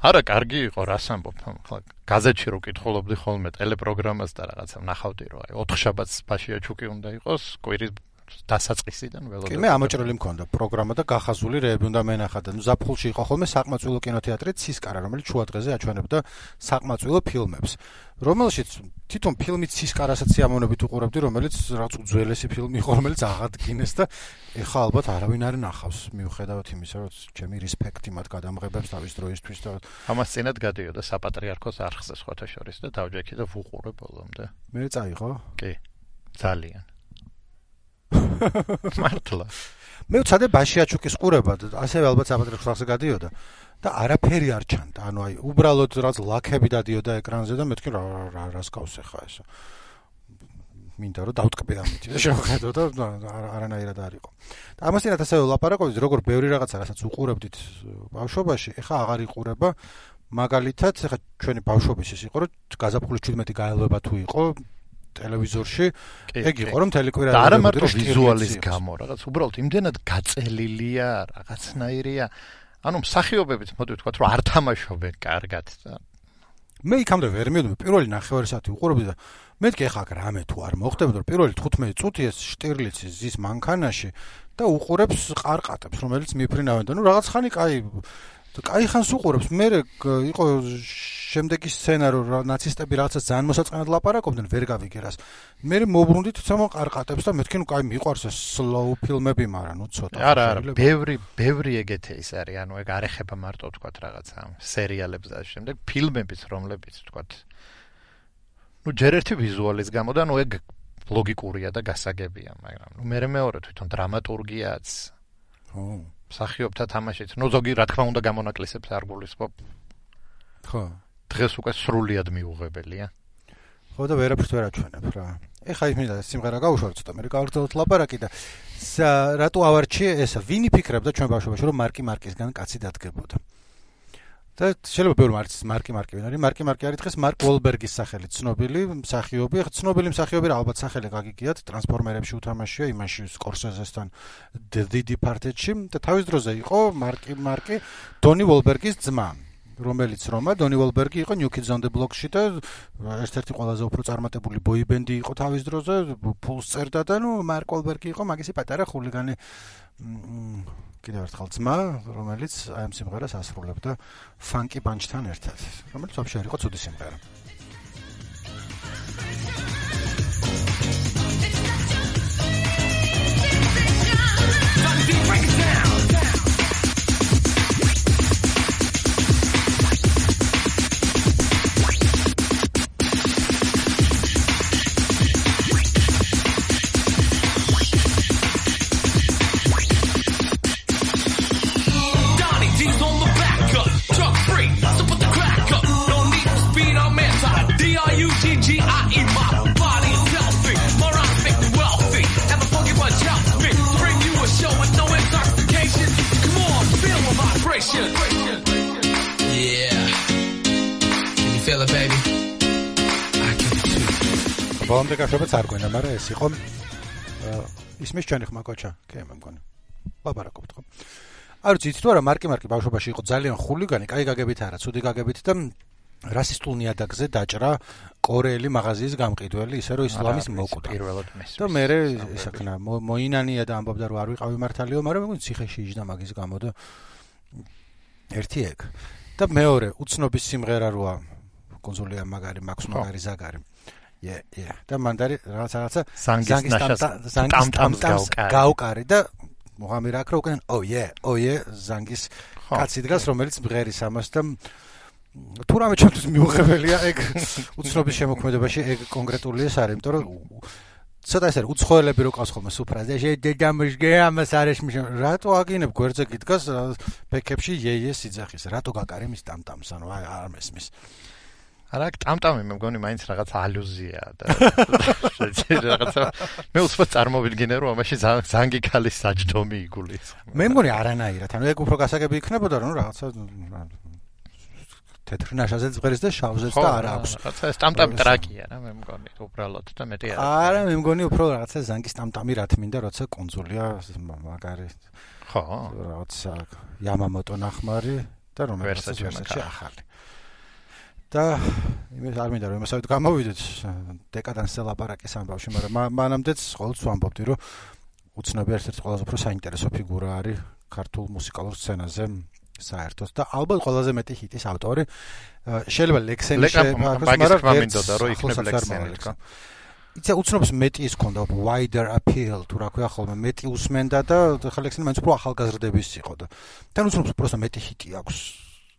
არა კარგი იყო რას ამბობ ხა გაზეთში რო კითხულობდი ხოლმე ტელეპროგრამას და რაღაცა ნახავდი რომ აი ოთხშაბათს ბაშია ჩუკი უნდა იყოს კვირის დასაწყისიდან ველოდები. კი მე ამოჭრილი მქონდა პროგრამა და გახაზული რეები უნდა მენახა და ზაფხულში იყო ხოლმე საკმაწვილო კინოთეატრი ცისკარა, რომელიც შუა დღეზე აჩვენებდა საკმაწვილო ფილმებს. რომელშიც თვითონ ფილმი ცისკარასაც ამონებით უყურებდი, რომელიც რაღაც უძველესი ფილმი იყო, რომელიც აღადგინეს და ეხლა ალბათ არავინ არ ნახავს, მიუხედავად იმისა, რომ ჩემი რესპექტი მათ გადამღებებს თავის დროისთვის და ამას წინათ გადიოდა საპატრიარქოს არხზე სხვათა შორის და დავჯექი და ვუყურე ბოლომდე. მე წაიღო? კი. ძალიან. მართლა. მე ვცადე ბაშიაჩუკის ყურება და ასევე ალბათ საპატრიარქოს არხზე გადიოდა და არაფერი არ ჩანდა. ანუ აი უბრალოდ რაღაც ლაქები დადიოდა ეკრანზე და მეთქი რა რა რას გავს ახლა ეს. მინდა რომ დავტკბე ამით და შევხედო და არანაირად არ იყო. და ამასთანავე ასევე ლაპარაკობდით როგორ ბევრი რაღაცა რასაც უყურებდით ბავშვობაში, ეხლა აღარ იყურება. მაგალითად, ეხლა ჩვენი ბავშვობის ის იყო, რომ გაზაფხულის შვიდმეტი გაელვება თუ იყო ტელევიზორში, ეგ იყო რომ თელეკვირა და არა მარტო ვიზუალის გამო, რაღაც უბრალოდ იმდენად გაწელილია, რაღაცნაირია. ანუ მსახიობებიც მოდი ვთქვათ, რომ არ თამაშობენ კარგად და მე იქამდე ვერ მივედი, პირველი ნახევარი საათი უყურებდი და მეთქი ახლა რამე თუ არ მოხდებოდა, რომ პირველი თხუთმეტი წუთი ეს შტირლიცი ზის მანქანაში და უყურებს ყარყატებს, რომელიც მიფრინავენ და ნუ რაღაც ხანი კაი კაი ხანს უყურებს. მე იყო შემდეგი სცენა რომ ნაცისტები რაღაცას ძალიან მოსაწყენად ლაპარაკობდნენ, ვერ გავიგერას. მე მოbrundით თვითონ ყარყატებს და მეთქი ნუ კაი მიყვარს ეს სლოუ ფილმები, მაგრამ ნუ ცოტა. არა, არა, ბევრი, ბევრი ეგეთი ის არის, ანუ ეგ არ ეხება მარტო ვთქვათ რაღაცა სერიალებს და შემდეგ ფილმებიც, რომლებიც ვთქვათ ნუ ჯერ ერთი ვიზუალის გამო და ნუ ეგ ლოგიკურია და გასაგებია, მაგრამ ნუ მე მეორე თვითონ დრამატურგიაც. ხო. მსახიობთა თამაშიც, ნუ ზოგი რა თქმა უნდა გამონაკლისებს არ გულისხმობ. ხო. დღეს უკვე სრულიად მიუღებელია. ხო და ვერაფერს ვერ აჩვენებ რა. ეხა ის მინდა სიმღერა გავუშვათ ცოტა, მე გავაგრძელოთ ლაპარაკი და რატო ავარჩიე ესა, ვინი ფიქრებდა ჩვენ ბავშვობაში რომ მარკი მარკისგან კაცი დადგებოდა. და შეიძლება ბევრი მარკის მარკი მარკი ვინ არის? მარკი მარკი არის დღეს მარკ უოლბერგის სახელით ცნობილი მსახიობი. ახლა ცნობილი მსახიობი რა ალბათ სახელი გაგიგიათ, ტრანსფორმერებში უთამაშია, იმაში სკორსეზესთან The Departed-ში და თავის დროზე იყო მარკი მარკი დონი უოლბერგის ძმა, რომელიც რომა დონი უოლბერგი იყო New Kids on the Block-ში და ერთ-ერთი ყველაზე უფრო წარმატებული ბოიბენდი იყო თავის დროზე, ფულს წერდა და ნუ მარკ უოლბერგი იყო მაგისი პატარა ხულიგანი კიდევ ერთხელ ძმა, რომელიც აი ამ სიმღერას ასრულებდა Funky Bunch-თან ერთად, რომელიც вообще არ იყო ცუდი სიმღერა. ბოლომდე გაშვებაც არ გვენა, მაგრამ ეს იყო ისმის ჩვენი ხმა კოჩა, კი მე მგონი. ლაპარაკობთ ხო? არ ვიცი, იცით თუ არა მარკი მარკი ბავშვობაში იყო ძალიან ხულიგანი, კაი გაგებით არა, ცუდი გაგებით და რასისტულ ნიადაგზე დაჭრა კორეელი მაღაზიის გამყიდველი, ისე რომ ისლამის მოკვდა. და მე ისაქნა მოინანია და ამბობდა რომ არ ვიყავი მართალიო, მაგრამ მე მგონი ციხეში იჯდა მაგის გამო და ერთი ეგ. და მეორე უცნობის სიმღერა როა კონსოლია მაგარი, მაქვს მაგარი ზაგარი. Yeah, yeah. და მანდარი რაღაც რაღაცა ზანგის ნაშას ტამტამს გაუკარი და მოღამი რა ქრო უკან oh yeah, oh yeah, ზანგის კაცი დგას, რომელიც მღერის ამას და თუ რამე ჩემთვის მიუღებელია ეგ უცნობის შემოქმედებაში ეგ კონკრეტული ეს არის, იმიტომ რომ ცოტა ეს არის უცხოელები რო ყავს ხოლმე სუფრაზე დედამშგე ამას არის რატო აგინებ გვერდზე გიდგას ბექებში იე იე სიძახის რატო გაკარი მის ტამტამს ანუ არ მესმის არა, ტამტამი მე მგონი მაინც რაღაც ალუზია და რაღაცა მე უცბად წარმოვიდგინე რომ ამაში ზანგი ქალის საჯდომი იგულის. მე მგონი არანაირად, ანუ ეგ უფრო გასაგები იქნებოდა რომ რაღაცა თეთრ ნაშაზეც ღერის და შავზეც და არა აქვს. რაღაცა ეს ტამტამი ტრაკია რა მე მგონი უბრალოდ და მეტი არა. არა, მე მგონი უფრო რაღაცა ზანგის ტამტამი რა თმინდა როცა კონძულია მაგარი. ხო, რაღაცა Yamamoto ნახმარი და რომელსაც ვერსიაში ახალი. და იმის არ მინდა რომ იმასავით გამოვიდეთ დეკადანსზე ლაპარაკის ამბავში, მაგრამ მანამდეც ყოველთვის ვამბობდი რომ უცნობი ერთ-ერთი ყველაზე უფრო საინტერესო ფიგურა არის ქართულ მუსიკალურ სცენაზე საერთოდ და ალბათ ყველაზე მეტი ჰიტის ავტორი შეიძლება ლექსენი შეფაქოს, მაგრამ მინდოდა რომ იქნებ ლექსენი თქო. იცი უცნობს მეტი ის ქონდა wider appeal თუ რა ქვია ხოლმე მეტი უსმენდა და ხა ლექსენი მაინც უფრო ახალგაზრდების იყო და თან უცნობს უბრალოდ მეტი ჰიტი აქვს.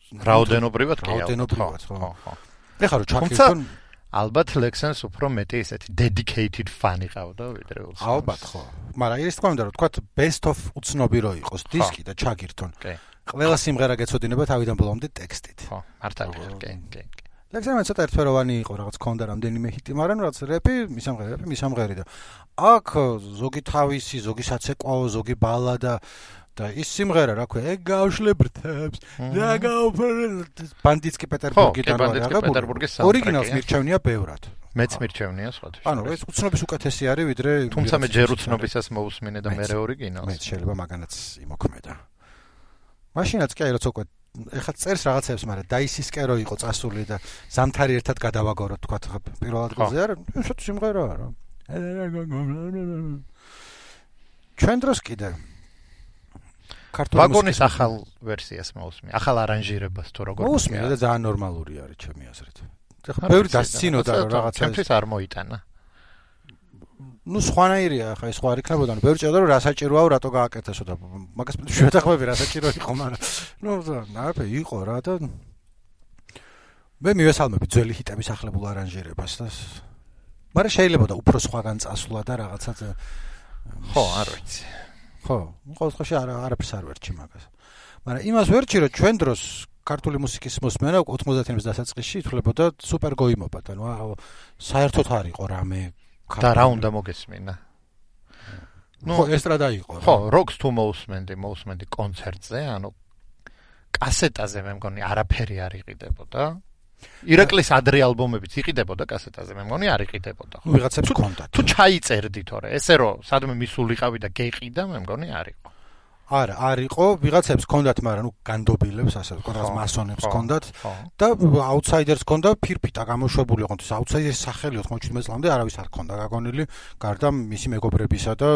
რაოდენობრივად კი რაოდენობრივად ხო ხო ეხლა რომ ჩაკირთონ ალბათ ლექსენს უფრო მეტი ესეთი dedicated fan იყავდა ვიდრე ულს ალბათ ხო მაგრამ ის თქმა უნდა რომ თქვა best of უცნობი რო იყოს დისკი და ჩაკირთონ ყველა სიმღერა გეცოდინება თავიდან ბოლომდე ტექსტით ხო მართალია კი კი ლექსენი ცოტა ერთფეროვანი იყო რაღაც ქონდა რამდენიმე ჰიტი მაგრამ რაც რეპი მისამღერი რეპი მისამღერი და აქ ზოგი თავისი ზოგი საცეკვაო ზოგი ბალადა და ის სიმღერა რა ქვია ეგ გავშლებრთებს და გავფერდ ბანდიტსკი პეტერბურგიდან პეტერბურგის ორიგინალს მირჩევნია ბევრად მეც მირჩევნია სხვათა ანუ ეს უცნობის უკეთესი არის ვიდრე თუმცა მე ჯერ უცნობისას მოусმინე და მე ორიგინალს მე შეიძლება მაგანაც იმოქმედა მაშინაც კი აი როცა უკვე ეხლა წერს რაღაცებს მაგრამ დაისისკერო იყო წასული და ზამთარი ერთად გადავაგოროთ თქვა პირველ ადგილზე არა ისეთ სიმღერაა რა ჩვენ დროს კიდე ვაგონის ახალ ვერსიას მოусმინე, ახალ არანჟირებას თუ როგორ მოусმინე და ძალიან ნორმალური არის ჩემი აზრით. ეხლა ბევრი დასცინოდა რომ რაღაცა ჩემთვის არ მოიტანა. ნუ სხვანაირია ხა ეს სხვა არ იქნებოდა, ნუ ბევრი ჭირდა რომ რა საჭიროა რატო გააკეთესო და მაგას შევეთანხმები რა საჭირო იყო, მაგრამ ნუ ნაფე იყო რა და მე მივესალმები ძველი ჰიტების ახლებულ არანჟირებას და მაგრამ შეიძლება და უფრო სხვაგან წასვლა და რაღაცა ხო, არ ვიცი. ხო, ყოველ შემთხვევაში არა არაფერს არ ვერჩი მაგას. მაგრამ იმას ვერჩი რომ ჩვენ დროს ქართული მუსიკის მოსმენა ოცდაათიანების დასაწყისში ითვლებოდა სუპერ გოიმობად, ანუ საერთოდ არ იყო რამე და რა უნდა მოგესმინა. ნუ ესტრადა იყო. ხო, როკს თუ მოусმენდი, მოусმენდი კონცერტზე, ანუ კასეტაზე მე მგონი არაფერი არ იყიდებოდა. ირაკლის ადრე ალბომებიც იყიდებოდა კასეტაზე, მე მგონი არ იყიდებოდა. ხო, ვიღაცებს ჰქონდათ. თუ ჩაიწერდი თორე, ესე რომ სადმე მისულიყავი და გეყიდა, მე მგონი არ იყო. არა, არ იყო, ვიღაცებს ჰქონდათ, მაგრამ ნუ განდობილებს, ასე ვთქვათ, მასონებს ჰქონდათ და აუთსაიდერს ჰქონდა ფირფიტა გამოშვებული, ოღონდ ეს აუთსაიდერის სახელი ოთხმოცდაშვიდ წლამდე არავის არ ჰქონდა გაგონილი, გარდა მისი მეგობრებისა და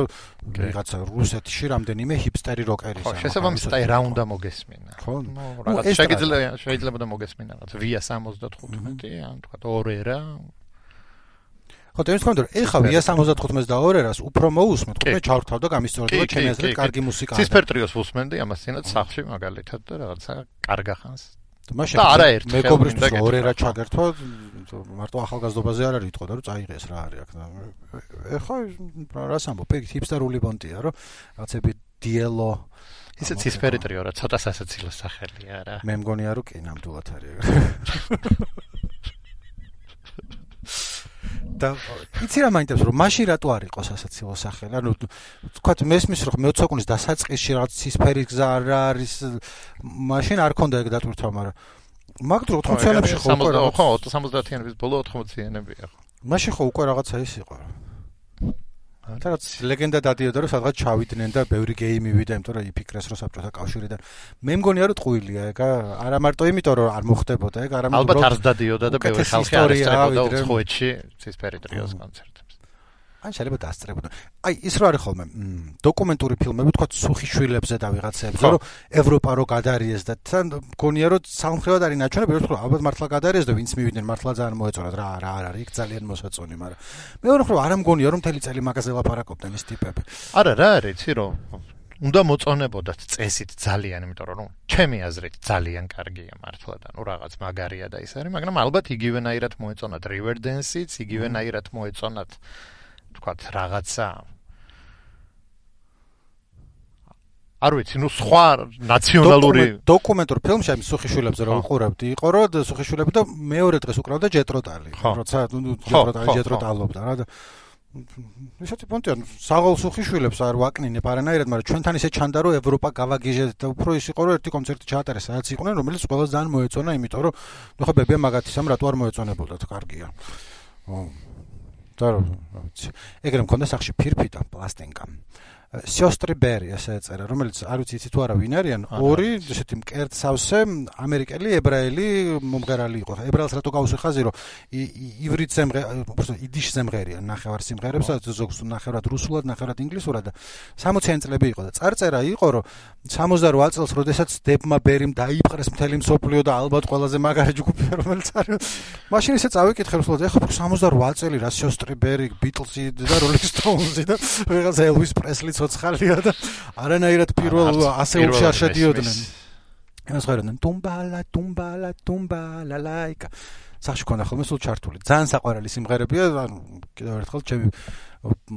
ვიღაცა რუსეთში რამდენიმე ჰიპსტერი როკერის. ხო, შესაბამისად აი რა უნდა მოგესმინა. ხო, რაღაც შეიძლება შეიძლება და მოგესმინა რაღაც ვია სამოცდათხუთმეტი, ან თქვა ორერა. ხო, და ის თქმა უნდა, ეხა ვია სამოცდათხუთმეტს და ორერას უფრო მოусმენთ, ხო, მე ჩავრთავ და გამისწორდება ჩემი აზრით კარგი მუსიკა. ცისფერტრიოს ვუსმენდი ამასთანაც სახლში მაგალითად და რაღაცა კარგა ხანს. მაშინ მეგობრისთვის ორერა ჩაგერთვა, მარტო ახალგაზრდობაზე არ არის იტყოდა რომ წაიღეს რა არის აქ და ეხა რას ამბობ, ეგ ჰიპსტერული ბონტია, რომ რაღაცები დიელო ისე ცისფერტრიო რა ცოტა სასაცილო სახელია რა. მე მგონია რომ კი ნამდვილად არის. და იცი რა მაინტერესებს რომ მაშინ რატო არ იყო სასაცილო სახელი? ანუ თქვა მესმის რომ მეოცე საუკუნის დასაწყისში რაღაც ცისფერი გზა არ არის, მაშინ არ ქონდა ეგ დატვირთვა, მაგრამ მაგდრო ოთხმოციანებში ხო უკვე რა ხო სამოცდაათიანების ბოლო ოთხმოციანებია ხო. მაშინ ხო უკვე რაღაცა ის იყო. და რაც ლეგენდა დადიოდა რომ სადღაც ჩავიდნენ და ბევრი გეიმი ვიდა, იმიტომ რომ იფიქრეს რომ საბჭოთა კავშირიდან. მე მგონია რომ ტყუილია ეგ, არა მარტო იმიტომ რომ არ მოხდებოდა ეგ, არამედ ალბათ არც დადიოდა და ბევრი ხალხი არ ესწრებოდა უცხოეთში ცისფერტრიოს კონცერტებს. ან შეიძლება დაასწრებოდა. აი ის რო არის ხოლმე დოკუმენტური ფილმები, თქვა სუხიშვილებზე და ვიღაცებზე, რომ ევროპა რო გადარიეს და თან მგონია რომ სამხრევად არის ნაჩვენები, რომ ალბათ მართლა გადარიეს და ვინც მივიდნენ მართლა ძალიან მოეწონათ რა რა არ არის, იქ ძალიან მოსაწონი, მაგრამ მეორე ხრო არ ამგონია რომ მთელი წელი მაგაზე ლაპარაკობდნენ ეს ტიპები. არა რა არის, იცი რომ უნდა მოწონებოდათ წესით ძალიან, იმიტომ რომ ჩემი აზრით ძალიან კარგია მართლა და ნუ რაღაც მაგარია და ის არის, მაგრამ ალბათ იგივენაირად მოეწონათ Riverdance-იც, იგივენაირად მოეწონათ თქვათ რაღაცა არ ვიცი, ნუ სხვა ნაციონალური დოკუმენტურ ფილმში აი სუხიშვილებზე რომ უყურებდი, იყო რომ სუხიშვილები და მეორე დღეს უკრავდა ჯეტროტალი, როცა ჯეტროტალი ჯეტროტალობდა რა და ისეთი პონტია, საღოლ სუხიშვილებს არ ვაკნინებ არანაირად, მაგრამ ჩვენთან ისე ჩანდა რომ ევროპა გავაგიჟეთ და უფრო ის იყო რომ ერთი კონცერტი ჩაატარეს, სადაც იყვნენ, რომელიც ყველას ძალიან მოეწონა, იმიტომ რომ ნუ ხა ბებია მაგათისამ რატო არ მოეწონებოდათ, კარგია. და რა ვიცი. ეგრე მქონდა სახში ფირფი და პლასტინკა. სიოსტრი ბერი ასე ეწერა, რომელიც არ ვიცი იცი თუ არა ვინ არიან, ორი ესეთი მკერდსავსე ამერიკელი ებრაელი მომღერალი იყო. ებრაელს რატო გავუსვი ხაზი, რომ ივრით სიმღერა, უბრალოდ იდიშ სიმღერია, ნახევარ სიმღერებს, ზოგს ნახევრად რუსულად, ნახევრად ინგლისურად და სამოციანი წლები იყო და წარწერა იყო, რომ სამოცდაროც წელს, როდესაც დებმა ბერიმ დაიპყრეს მთელი მსოფლიო და ალბათ ყველაზე მაგარი ჯგუფია, რომელიც არის. მაშინ ისე წავიკითხე რუსულად, ეხლა სამოცდაროც წელი რა სიოსტრი ბერი, ბიტლსი და როლინგ სტოუნსი და ვიღაცა ელვის პრესლი ცოცხალია და არანაირად პირველ ასეულში არ შედიოდნენ. იმას ხედავდნენ ტუმბალა ტუმბალა ტუმბალა ლაიკა. სახში ქონდა ხოლმე სულ ჩართული. ძალიან საყვარელი სიმღერებია, ანუ კიდევ ერთხელ ჩემი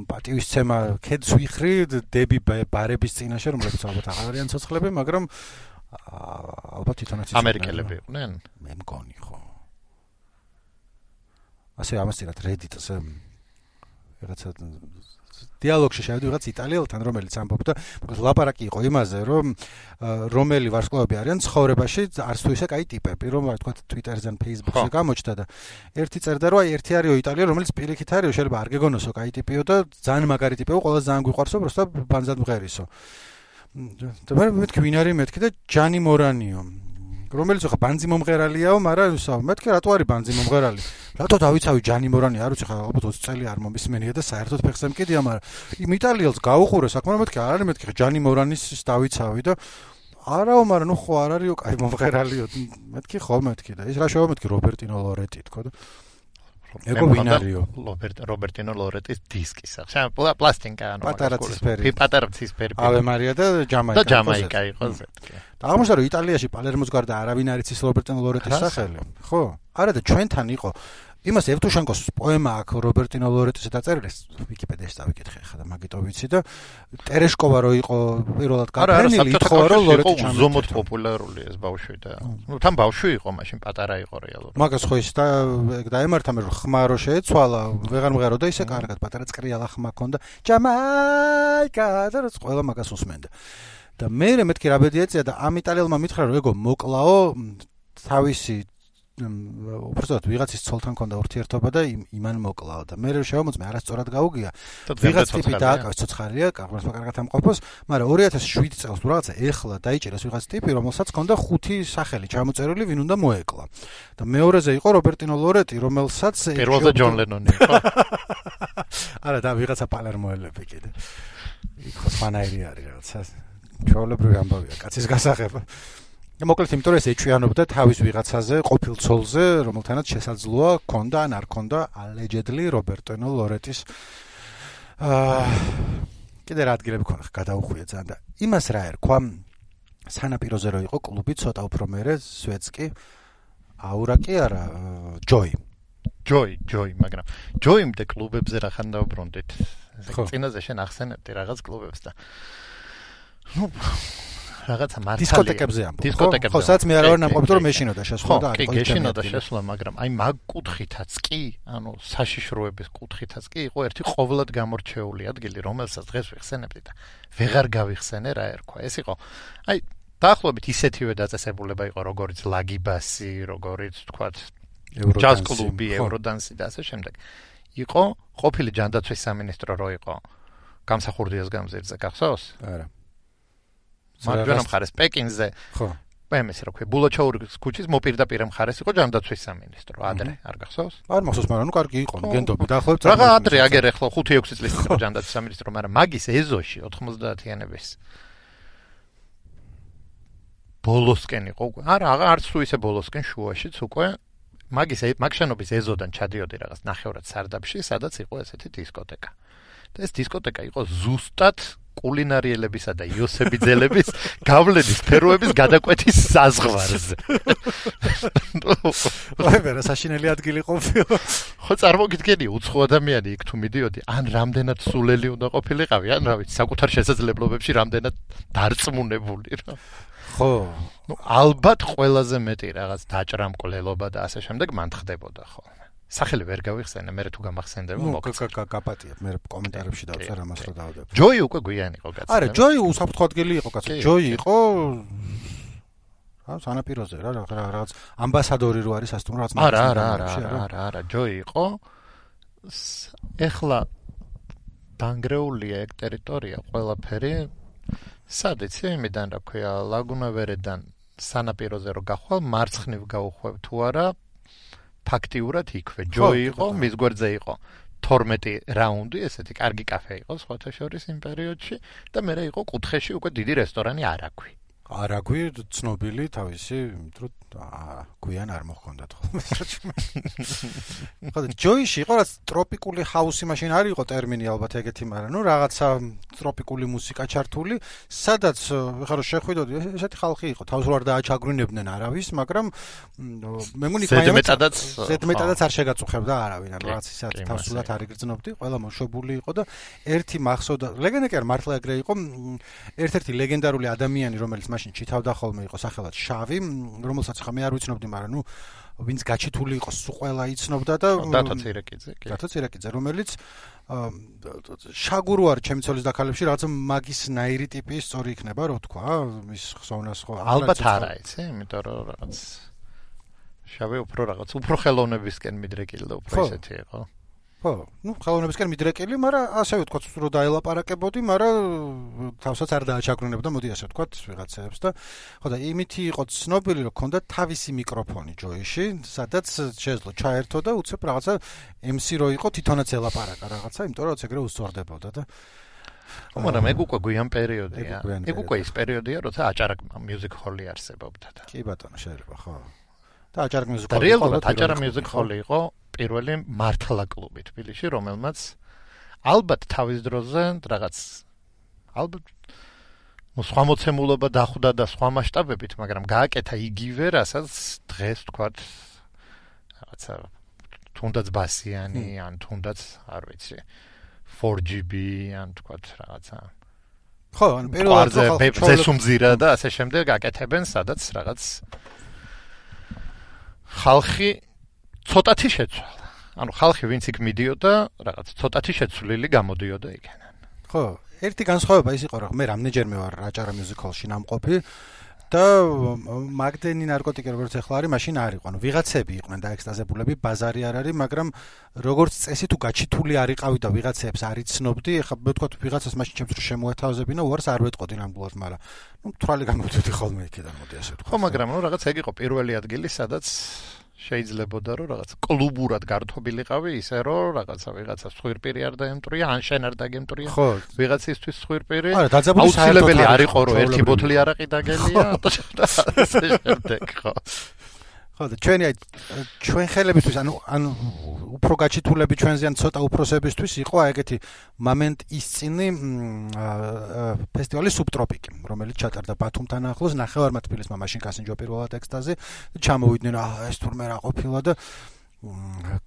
პატივისცემა ქედს ვიხრი დები ბარების წინაშე, რომლებიც ალბათ აღარ არიან ცოცხლები, მაგრამ ალბათ თვითონაც ამერიკელები იყვნენ. მე მგონი ხო. ასე ამას წინათ Reddit-ზე რაღაცა დიალოგში შევედი რაღაც იტალიელთან, რომელიც ამბობდა, მოკლედ ლაპარაკი იყო იმაზე, რომ რომელი ვარსკვლავები არიან ცხოვრებაში არც თუ ისე კაი ტიპები, რომ რა თქვა Twitter-ზე ან Facebook-ზე გამოჩნდა და ერთი წერდა, რომ აი ერთი არისო იტალიელი, რომელიც პირიქით არისო, შეიძლება არ გეგონოსო კაი ტიპიო და ძალიან მაგარი ტიპიო, ყველა ძალიან გვიყვარსო, просто ბანზად მღერისო. და მე მეთქი ვინ არის მეთქი და ჯანი მორანიო. რომელიც ხა ბანძი მომღერალიაო, მაგრამ ისა მეთქი რატო არის ბანძი მომღერალი? რატო დავიცავი ჯანი მორანი, არ ვიცი ხა ალბათ ოცი წელი არ მომისმენია და საერთოდ ფეხზე მკიდია, მაგრამ იმ იტალიელს გაუყურე საქმე, მეთქი არ არის მეთქი ჯანი მორანის დავიცავი და არაო, მაგრამ ნუ ხო არ არისო კაი მომღერალიო. მეთქი ხო მეთქი და ის რა შევა მეთქი რობერტინო ლორეტი თქო და ეგო ვინ არისო? რობერტინო ლორეტის დისკი სახე. პლასტინკა ანუ პატარა ცისფერი. პატარა ცისფერი. ავე მარია და ჯამაიკა. და ჯამაიკა იყო ზეთკი. და აღმოჩნდა რომ იტალიაში პალერმოს გარდა არავინ არ იცის რობერტინო ლორეტის სახელი. ხო? არა და ჩვენთან იყო იმას ევტუშენკოს პოემა აქვს რობერტინო ლორეტის დაწერილი, ვიკიპედიაში დავიკითხე ხა და მაგიტო ვიცი და ტერეშკოვა რო იყო პირველად გაფრენილი, ითხოვა რომ ლორეტი ჩამოიტანო. ზომოდ პოპულარული ეს ბავშვი და ნუ თან ბავშვი იყო, მაშინ პატარა იყო რეალურად. მაგას ხო ის და დაემართა მე რომ ხმა რო შეეცვალა, ვეღარ მღერო და ისე კარგად პატარა წრიალა ხმა ქონდა. ჯამაიკა და რაც ყველა მაგას უსმენდა. და მე მეთქი რა ბედი ეწია და ამ იტალიელმა მითხრა რომ ეგო მოკლაო თავისი უბრალოდ ვიღაცის ცოლთან ქონდა ურთიერთობა და იმან მოკლაო და მე შევამოწმე არასწორად გაუგია ვიღაც ტიპი დააკავეს ცოცხალია კახმას კარგად ამყოფოს მაგრამ ორი ათას შვიდი წელს თუ რაღაცა ეხლა დაიჭერეს ვიღაც ტიპი რომელსაც ქონდა ხუთი სახელი ჩამოწერილი ვინ უნდა მოეკლა და მეორეზე იყო რობერტინო ლორეტი რომელსაც პირველზე ჯონ ლენონი იყო არა და ვიღაცა პალერმოელები კიდე იქ ხსვანაირი არის რაღაცა ჩვეულებრივი ამბავია კაცის გასაღება მოკლედ იმიტომ რომ ეს ეჭვიანობდა თავის ვიღაცაზე, ყოფილ ცოლზე, რომელთანაც შესაძლოა ქონდა ან არ ქონდა allegedly რობერტინო ლორეტის აა კიდე რა ადგილები ქონდა გადაუხვია ძალიან და იმას რა ერქვა სანაპიროზე რო იყო კლუბი ცოტა უფრო მერე სვეცკი აურა კი არა ჯოი ჯოი ჯოი მაგრამ ჯოიმდე კლუბებზე რახან დაუბრუნდით წინაზე შენ ახსენებდი რაღაც კლუბებს და ნუ რაღაცა მართალია დისკოტეკებზე ამბობ დისკოტეკებზე ხო სადაც მე არ ვარ ნამყოფი რომ მეშინოდა შესვლა და არ იყო მეშინოდა შესვლა მაგრამ აი მაგ კუთხითაც კი ანუ საშიშროების კუთხითაც კი იყო ერთი ყოვლად გამორჩეული ადგილი რომელსაც დღეს ვიხსენებდი და ვეღარ გავიხსენე რა ერქვა ეს იყო აი დაახლოებით ისეთივე დაწესებულება იყო როგორიც ლაგიბასი როგორიც თქვათ ჯაზ კლუბი ევროდანსი და ასე შემდეგ იყო ყოფილი ჯანდაცვის სამინისტრო რო იყო გამსახურდიას გამზირზე გახსოვს არა მაგრამ მხარეს პეკინზე ხო პემეს რა ქვია ბულაჩაურის ქუჩის მოპირდაპირე მხარეს იყო ჯანდაცვის სამინისტრო ადრე არ გახსოვს არ მახსოვს მაგრამ ნუ კარგი იყო გენდობი დაახლოებით რაღა ადრე აგერ ახლა ხუთი ექვსი წლის წინ იყო ჯანდაცვის სამინისტრო მაგრამ მაგის ეზოში ოთხმოცდაათიანების ბოლოსკენ იყო უკვე არა არც თუ ისე ბოლოსკენ შუაშიც უკვე მაგის მაგშენობის ეზოდან ჩადიოდი რაღაც ნახევრად სარდაფში სადაც იყო ესეთი დისკოტეკა და ეს დისკოტეკა იყო ზუსტად კულინარიელებისა და იოსებიძელების გავლენის სფეროების გადაკვეთის საზღვარზე. ვაი, რა საშინელი ადგილი ყოფილა. ხო, წარმოგიდგენი, უცხო ადამიანი იქ თუ მიდიოდი, ან რამდენად სულელი უნდა ყოფილიყავი, ან რა ვიცი, საკუთარ შესაძლებლობებში რამდენად დარწმუნებული რა. ხო, ну, ალბათ ყველაზე მეტი რაღაც დაჭრამკვლელობა და ასე შემდეგ მან ხდებოდა ხოლმე. სახელი ვერ გავიხსენე, მე თუ გამახსენდება მოგწევ. ნუ, გაპატიებ, მე კომენტარებში დავწერ ამას რომ დავდებ. ჯოი უკვე გვიანი იყო კაცო. არა, ჯოი უსაფრთხო ადგილი იყო კაცო. ჯოი იყო რა, სანაპიროზე რა, რაღაც ამბასადორი რო არის ასე თუ რაღაც არა, არა, არა, არა, არა, ჯოი იყო. ეხლა დანგრეულია ეგ ტერიტორია ყველაფერი. სად იცი, იმიდან რა ქვია, ლაგუნავერედან სანაპიროზე რო გახვალ, მარცხნივ გავუხვევ თუ არა, ფაქტიურად იქვე ჯოი იყო, მის გვერდზე იყო თორმეტი რაუნდი, ესეთი კარგი კაფე იყო სხვათა შორის იმ პერიოდში და მერე იყო კუთხეში უკვე დიდი რესტორანი არაგვი. არაგვი ცნობილი თავისი, იმიტომ გვიან არ მოხონდათ ხოლმე. ხო, ჯოიში იყო რაც ტროპიკული ჰაუსი, მაშინ არ იყო ტერმინი ალბათ ეგეთი, მაგრამ ნუ რაღაცა ტროპიკული მუსიკა ჩართული, სადაც ხარო შეხვიდოდი, ესეთი ხალხი იყო, თავს არ დააჩაგვრინებდნენ არავის, მაგრამ მე მგონი ზედმეტადაც ზედმეტადაც არ შეგაწუხებდა არავინ, რაღაც ისეთ თავსულად არ იგრძნობდი, ყველა მოშობული იყო და ერთი მახსოვდა, ლეგენდა კი არ მართლა ეგრე იყო, ერთ-ერთი ლეგენდარული ადამიანი, რომელიც მაშინ ჩითავდა ხოლმე იყო სახელად შავი, რომელსაც ხა მე არ ვიცნობდი, მაგრამ ნუ ვინც გაჩითული იყო, სულ ყველა იცნობდა და დათო ცირეკიძე, კი. დათო ცირეკიძე, რომელიც შაგურო არ ჩემი ცოლის დაქალებში რაღაც მაგის ნაირი ტიპის სწორი იქნება, რო თქვა, მის ხსოვნას ხო. ალბათ არა, იცი, იმიტომ რომ რაღაც შავი უფრო რაღაც, უფრო ხელოვნებისკენ მიდრეკილი და უფრო ისეთი იყო. ხო, ну, ხელოვნებისკენ მიდრეკილი, მაგრამ ასე ვთქვათ, რომ დაელაპარაკებოდი, მაგრამ თავსაც არ დააჩაგრუნებდა, მოდი ასე ვთქვათ, ვიღაცებს და ხო და იმითი იყო ცნობილი, რომ ქონდა თავისი მიკროფონი ჯოიში, სადაც შეძლო ჩაერთო და უცებ რაღაცა ემ სი რო იყო, თვითონაც ელაპარაკა რაღაცა, იმიტომ რომ ეგრე უსწორდებოდა და ხო, მაგრამ ეგ უკვე გვიან პერიოდია. ეგ უკვე ის პერიოდია, როცა აჭარა მიუზიკ ჰოლი არსებობდა და. კი ბატონო, შეიძლება, ხო. და აჭარა მიუზიკ ჰოლი. რეალურად აჭარა მიუზიკ ჰოლი იყო პირველი მართლა კლუბი თბილისში, რომელმაც ალბათ თავის დროზე რაღაც ალბათ ნუ სხვა მოცემულობა დახვდა და სხვა მასშტაბებით, მაგრამ გააკეთა იგივე, რასაც დღეს თქვათ რაღაცა თუნდაც ბასიანი, ან თუნდაც არ ვიცი four G B, ან თქვათ რაღაცა ხო, ან პირველად ზესუმზირა და ასე შემდეგ გაკეთებენ, სადაც რაღაც ხალხი ცოტათი შეცვალა. ანუ ხალხი ვინც იქ მიდიოდა, რაღაც ცოტათი შეცვლილი გამოდიოდა იქიდან. ხო, ერთი განსხვავება ის იყო, რომ მე რამდენჯერმე ვარ აჭარა მიუზიკ ჰოლში ნამყოფი და მაგდენი ნარკოტიკი როგორც ახლა არის, მაშინ არ იყო. ანუ ვიღაცები იყვნენ დაექსტაზებულები, ბაზარი არ არის, მაგრამ როგორც წესი თუ გაჩითული არიყავი და ვიღაცებს არ იცნობდი, ახლა ვთქვათ ვიღაცას მაშინ ჩემს რო შემოეთავაზებინა, უარს არ ვეტყოდი ნამდვილად, მაგრამ ნუ თვრალი გამოდიოდი ხოლმე იქიდან, მოდი ასე ვთქვათ. ხო, მაგრამ ნუ რაღაც ეგ იყო პირველი ადგილი, სადაც შეიძლებოდა რომ რაღაც კლუბურად გართობილიყავი ისე რომ რაღაცა ვიღაცა სხვირპირი არ დაემტრია, ან შენ არ დაგემტრია. ვიღაცისთვის სხვირპირი. აუცილებელი არ იყო რომ ერთი ბოთლი არაყი დაგელია და ასე შემდეგ, ხო. ხო, და ჩვენი აი ჩვენ ხელებისთვის, ანუ ანუ უფრო გაჩითულები ჩვენზე ან ცოტა უფროსებისთვის იყო ეგეთი მომენტ ისწინი ფესტივალი სუბტროპიკი, რომელიც ჩატარდა ბათუმთან ახლოს, ნახევარმა თბილისმა მაშინ კასინჯო პირველად ექსტაზი და ჩამოვიდნენ, აა ეს თურმე რა ყოფილა და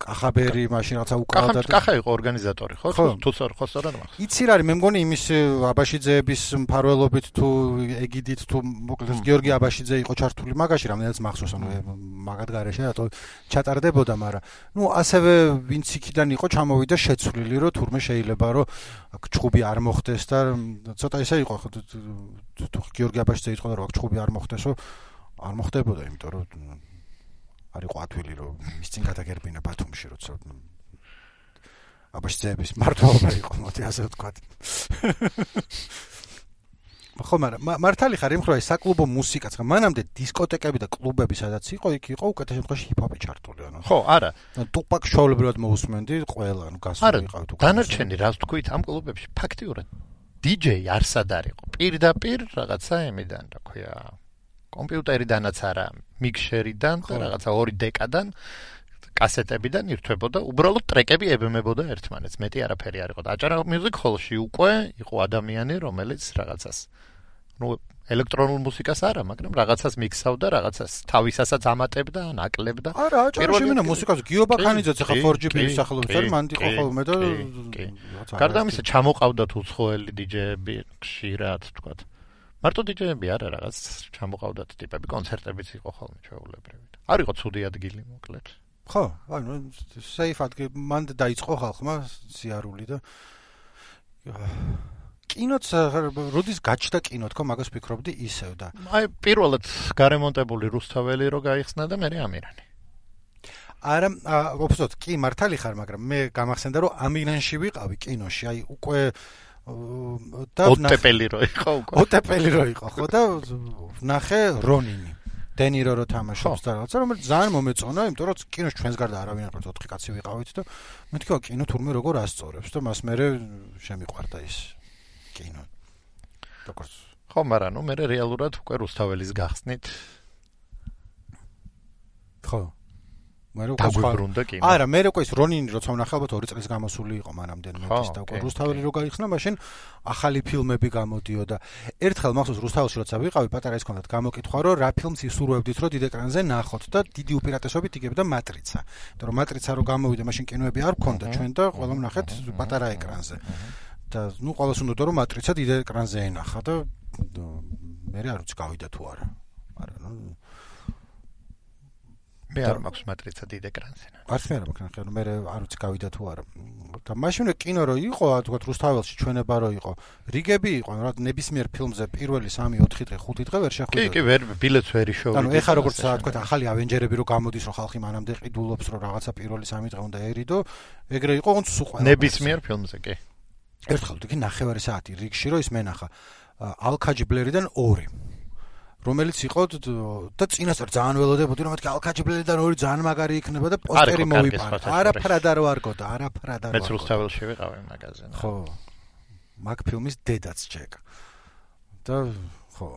კახაბერი მაშინ რაღაცა უკრავდა და კახა იყო ორგანიზატორი, ხო? თუ ხო სწორად მახსოვს. იცი რა არის, მე მგონი იმის აბაშიძეების მფარველობით თუ ეგიდით თუ მოკლედ გიორგი აბაშიძე იყო ჩართული მაგაში, რამდენიც მახსოვს, ანუ მაგად გარეშე რატო ჩატარდებოდა, მაგრამ ნუ ასევე ვინც იქიდან იყო ჩამოვიდა შეცვლილი, რომ თურმე შეიძლება რომ აქ ჩხუბი არ მოხდეს და ცოტა ისე იყო, თუ გიორგი აბაშიძე იტყოდა რომ აქ ჩხუბი არ მოხდესო, არ მოხდებოდა, იმიტომ რომ არ იყო ათვილი რომ ის წინ გადაგერბინა ბათუმში, როცა აბაშიძეების მართლობა იყო, მოდი ასე ვთქვათ. ხო, მაგრამ მართალი ხარ იმ ხრო საკლუბო მუსიკაც, ხა მანამდე დისკოტეკები და კლუბები სადაც იყო, იქ იყო უკეთეს შემთხვევაში ჰიპ-ჰოპი ჩართული, ანუ. ხო, არა. ტუპაკ შოულებრივად მოусმენდი ყველა, ანუ გასული იყავი თუ. დანარჩენი რას თქვით ამ კლუბებში ფაქტიურად დი ჯეი არსად არ იყო. პირდაპირ რაღაცა იმიდან, რა ქვია, კომპიუტერიდანაც არა, მიქსერიდან და რაღაცა ორი დეკადან კასეტებიდან ირთვებოდა, უბრალოდ ტრეკები ებმებოდა ერთმანეთს, მეტი არაფერი არ იყო. და აჭარა Music Hall-ში უკვე იყო ადამიანი, რომელიც რაღაცას ну ელექტრონულ მუსიკას არა, მაგრამ რაღაცას მიქსავდა, რაღაცას თავისასაც ამატებდა, ან აკლებდა. არა, აჭარაში მენა მუსიკას გიობა ხანიძეც ახლა four G B-ის სახელობის არის, მანდ იყო ხოლმე და გარდა ამისა ჩამოყავდათ უცხოელი დიჯეები ხშირად, თქვათ. მარტო დიჯეები არა, რაღაც ჩამოყავდათ ტიპები, კონცერტებიც იყო ხოლმე ჩვეულებრივი. არ იყო ცუდი ადგილი, მოკლედ. ხო, ანუ safe ადგილი, მანდ დაიწყო ხალხმა სიარული და კინოც როდის გაჩნდა კინო თქო მაგას ვფიქრობდი ისევ და აი პირველად გარემონტებული რუსთაველი რო გაიხსნა და მე ამირანი არა ოფსოთ კი მართალი ხარ მაგრამ მე გამახსენდა რომ ამირანში ვიყავი კინოში აი უკვე და ოტეპელი რო იყო უკვე ოტეპელი რო იყო ხო და ნახე რონინი დენირო რო თამაშობს და რაღაცა რომელიც ძალიან მომეწონა იმიტომ რომ კინოში ჩვენს გარდა არავინ არ ყავს ოთხი კაცი ვიყავით და მეთქვა კინო თურმე როგორ ასწორებს და მას მე შემიყვარდა ის კინო. როგორც ხო, მაგრამ ნუ მე რეალურად უკვე რუსთაველის გახსნით. ხო. მე რო დაგვიბრუნდა კინო. არა, მე რო ის რონინი როცა ვნახე ალბათ ორი წლის გამოსული იყო მანამდე მეც და უკვე რუსთაველი რო გაიხსნა, მაშინ ახალი ფილმები გამოდიოდა. ერთხელ მახსოვს რუსთაველში როცა ვიყავი, პატარა ის ქონდათ გამოკითხვა, რომ რა ფილმს ისურვებდით, რომ დიდ ეკრანზე ნახოთ და დიდი უპირატესობით იგებდა მატრიცა. იმიტომ რომ მატრიცა რო გამოვიდა, მაშინ კინოები არ გქონდა ჩვენ და ყველა ვნახეთ პატარა ეკრანზე. და ნუ ყველას უნდა რომ მატრიცა დიდ ეკრანზე ენახა და მე არ ვიცი გავიდა თუ არა. მაგრამ ნუ მე არ მაქვს მატრიცა დიდ ეკრანზე. არც მე არ მაქვს ნახე, მე არ ვიცი გავიდა თუ არა. და მაშინ კინო რო იყო, თქვა რუსთაველში ჩვენება რო იყო, რიგები იყო, რა ნებისმიერ ფილმზე პირველი სამი ოთხი დღე ხუთი დღე ვერ შეხვიდე. კი, კი, ვერ ბილეთს ვერ იშოვე. ანუ ეხა როგორც თქვა ახალი ავენჯერები რო გამოდის, რომ ხალხი მანამდე ყიდულობს, რომ რაღაცა პირველი სამი დღე უნდა ერიდო, ეგრე იყო ოღონდ სულ ყველა. ნებისმიერ ფილმზე კი. ერთხელ თქვი ნახევარი საათი რიგში რო ის მენახა ალქაჯიბლერიდან ორი რომელიც იყო და წინასწარ ძალიან ველოდებოდი რომ მეთქი ალქაჯიბლერიდან ორი ძალიან მაგარი იქნება და პოსტერი მოვიპარა არაფრად არ ვარგოდა არაფრად არ ვარგოდა მეც რუსთაველში ვიყავი მაგაზინში ხო მაგ ფილმის დედაც ჩეკ და ხო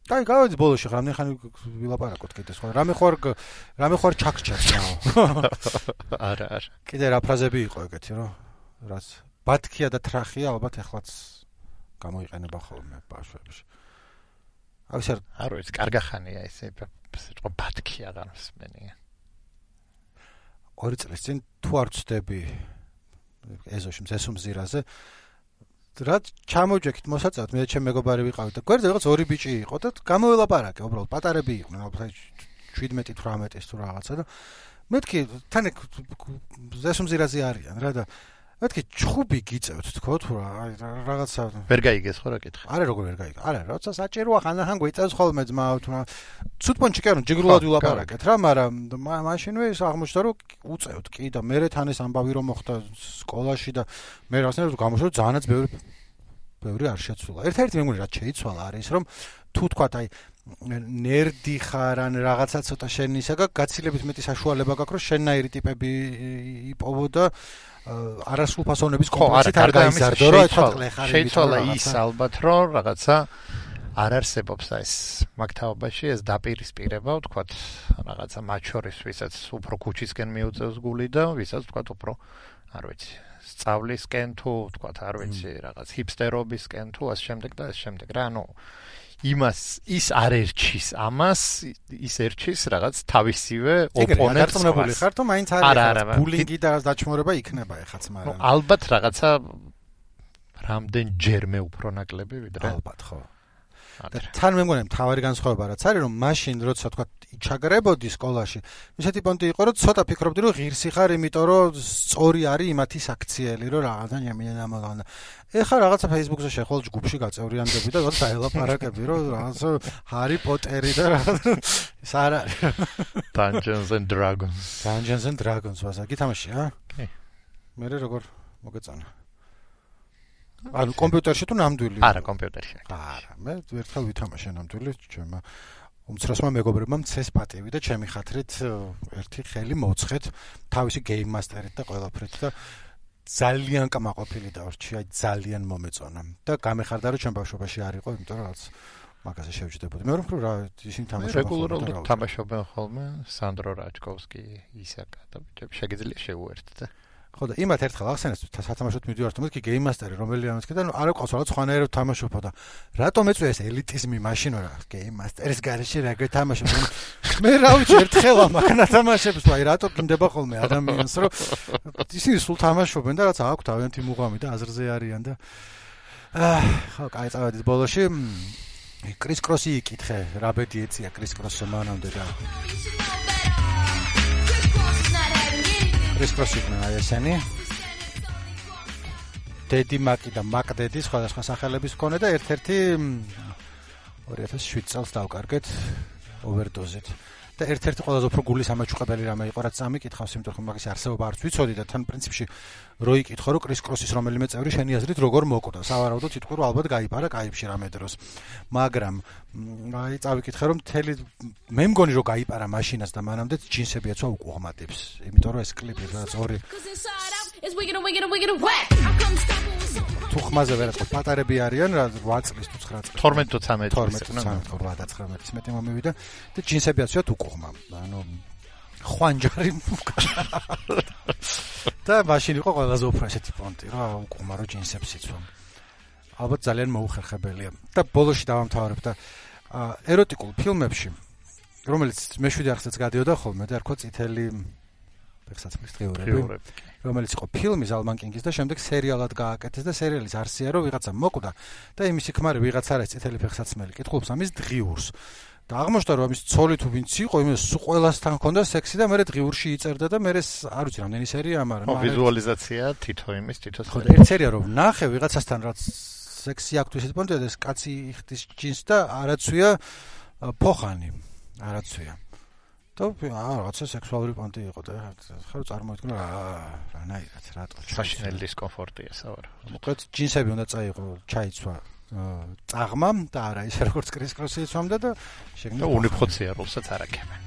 დაი გავედი ბოლოში რამე ხანი ვილაპარაკოთ კიდე სხვა რამე ხوار რამე ხوار ჩაკჩას არა არა კიდე რა ფრაზები იყო ეგეთი რომ რაც ბათქია და ტრახია ალბათ ეხლაც გამოიყენება ხოლმე ბავშვებში. აი ეს არ ვიცი, კარგახანია ესე იყო ბათქია განსმენია. ორი წლის წინ თუ არ ვწდები ეზოში მზესუმზირაზე რაც ჩამოვჯექით მოსაწევად მე ჩემ მეგობარი ვიყავით და გვერდზე რაღაც ორი ბიჭი იყო და გამოველაპარაკე უბრალოდ პატარები იყვნენ ალბათ შვიდმეტი თვრამეტი თუ რაღაცა და მეთქი თან ზესუმზირაზე არიან რა და მეთქი ჩხუბი გიწევთ თქო თუ რა რაღაცა ვერ გაიგეს ხო რა კითხე არა როგორ ვერ გაიგე არა როცა საჭიროა ხანდახან გვიწევს ხოლმე ძმა თუ რა ცუდპონჩი კი არ ჯიგრულად ვილაპარაკეთ რა მაგრამ მაშინვე ის აღმოჩნდა რომ უწევთ კი და მე თან ეს ამბავი რომ მოხდა სკოლაში და მე რაღაცნაირად გამოშვა ძალიანაც ბევრი ბევრი არ შეცვლა ერთ-ერთი მე მგონი რაც შეიცვალა არის რომ თუ თქვათ აი ნერდი ხარ ან რაღაცა ცოტა შენისაგა გაცილებით მეტი საშუალება გაქვს რომ შენნაირი ტიპები იპოვო და არასრულფასოვნების კომპლექსით არ გაიზარდო რა ეთქვა შეიცვალა ის ალბათ რომ რაღაცა არ არსებობს ეს მაგთაობაში ეს დაპირისპირება ვთქვათ რაღაცა მათ შორის ვისაც უფრო ქუჩისკენ მიუწევს გული და ვისაც ვთქვათ უფრო არ ვიცი სწავლისკენ თუ ვთქვათ არ ვიცი რაღაც ჰიპსტერობისკენ თუ ასე შემდეგ და ასე შემდეგ რა ანუ იმას ის არ ერჩის ამას ის ერჩის რაღაც თავისივე ოპონენტს გაწმებული ხარ თუ მაინც არის ბულინგი და დაჩმორება იქნება ეხაც მაგრამ ალბათ რაღაცა რამდენჯერმე უფრო ნაკლები ვიდრე ალბათ ხო და თან მე მგონი მთავარი განსხვავება რაც არის რომ მაშინ როცა თქვა ჩაგრებოდი სკოლაში ისეთი პონტი იყო რომ ცოტა ფიქრობდი რომ ღირსი ხარ იმიტომ რომ სწორი არის იმათი საქციელი რომ რაღაცა ჟამინა ამაგანა ეხლა რაღაცა Facebook-ზე შეხვალ ჯგუფში გაწევრიანდები და რაღაცა დაელაპარაკები რომ რაღაცა ჰარი პოტერი და რაღაცა ეს არ არის Dungeons and Dragons Dungeons and Dragons ვასა გითამაში ა კი მე როგორ მოგეწონა ანუ კომპიუტერში თუ ნამდვილი? არა, კომპიუტერში. არა, მე ერთხელ ვითამაშე ნამდვილი, ჩემმა უმცროსმა მეგობრებმა მცეს პატივი და ჩემი ხათრით ერთი ხელი მოცხეთ თავისი გეიმ მასტერით და ყველაფრით და ძალიან კმაყოფილი დავრჩი, აი ძალიან მომეწონა და გამეხარდა რომ ჩემ ბავშვობაში არ იყო, იმიტომ რომ რაღაც მაგაზე შევჯდებოდი. მე რომ რა ისინი თამაშობენ. რეგულარულად თამაშობენ ხოლმე სანდრო რაჭკოვსკი, ისაკა და ბიჭები შეგიძლია შეუერთდე. ხო და იმათ ერთხელ ახსენეს სათამაშოდ მიდივართ, მეთქი Game Master-ი რომელიანიც კი და ნუ არ ყავს რაღაც ხანერად თამაშობ და რატომ ეწვია ეს ელიტიზმი მაშინ რა Game Master-ის გარეშე რა გეთამაშობ მე რა ვიცი ერთხელ ამაკნა თამაშებს ვაი რატო გინდება ხოლმე ადამიანს რომ ისინი სულ თამაშობენ და რაც აქვს თავიანთი მუღამი და აზრზე არიან და აა ხო კაი წავედით ბოლოში კრის კროსი იკითხე რა ბედი ეწია კრის კროსზე მანამდე და კრის კროსი იქნა ესენი დედი მაკი და მაკ დედი სხვადასხვა სახელების მქონე და ერთ-ერთი ორი ათას შვიდ წელს დავკარგეთ ოვერდოზით და ერთ-ერთი ყველაზე უფრო გულის ამაჩუყებელი რამე იყო რაც წამიკითხავს იმიტომ რომ მაგის არსებობა არც ვიცოდი და თან პრინციპში რო იკითხო რომ კრის კროსის რომელიმე წევრი შენი აზრით როგორ მოკვდა სავარაუდოდ იტყვი რომ ალბათ გაიპარა კაიფში რამე დროს მაგრამ აი წავიკითხე რომ მთელი მე მგონი რომ გაიპარა მაშინაც და მანამდე ჯინსები ეცვა უკუღმატებს იმიტომ რომ ეს კლიპი რაც ორი თუ ხმაზე ვერ აწყობ პატარები არიან რა ორი წლის თუ ცხრა წლის თორმეტ თუ ცამეტ თორმეტ ცხრამეტის მეტი მომივიდა და ჯინსები ეცვათ უკუღმა ანუ ხვანჯარი და მაშინ იყო ყველაზე უფრო ესეთი პონტი რა უკუღმა რო ჯინსებს იცვა ალბათ ძალიან მოუხერხებელია და ბოლოში დავამთავრებ და ეროტიკულ ფილმებში რომელიც მეშვიდე არხზეც გადიოდა ხოლმე და რქვა წითელი ფეხსაცმლის დღიურები რომელიც იყო ფილმი ზალმანკინგის და შემდეგ სერიალად გააკეთეს და სერიალის არსია რომ ვიღაცა მოკვდა და იმისი ქმარი ვიღაცა არის წითელი ფეხსაცმელი კითხულობს ამის დღიურს და აღმოჩნდა რომ ამის ცოლი თუ ვინც იყო იმის ყველასთან ჰქონდა სექსი და მე დღიურში იწერდა და მე არ ვიცი რამდენი სერია მაგრამ ვიზუალიზაცია თითო იმის თითო ხო და ერთ სერია რომ ნახე ვიღაცასთან რაც სექსი აქვს ისეთ პონტზე და ეს კაცი იხდის ჯინს და არაცვია ფოხანი არაცვია და აა რაღაცა სექსუალური პონტი იყო და ხარ წარმოიდგინე რა რანაირად რატო საშინელი დისკომფორტია სავარ მოკლედ ჯინსები უნდა წაიღო ჩაიცვა წაღმა და არა ისე როგორც კრის კროსი იცვამდა და შეგნა უნიფხოცია როლსაც არ აკებენ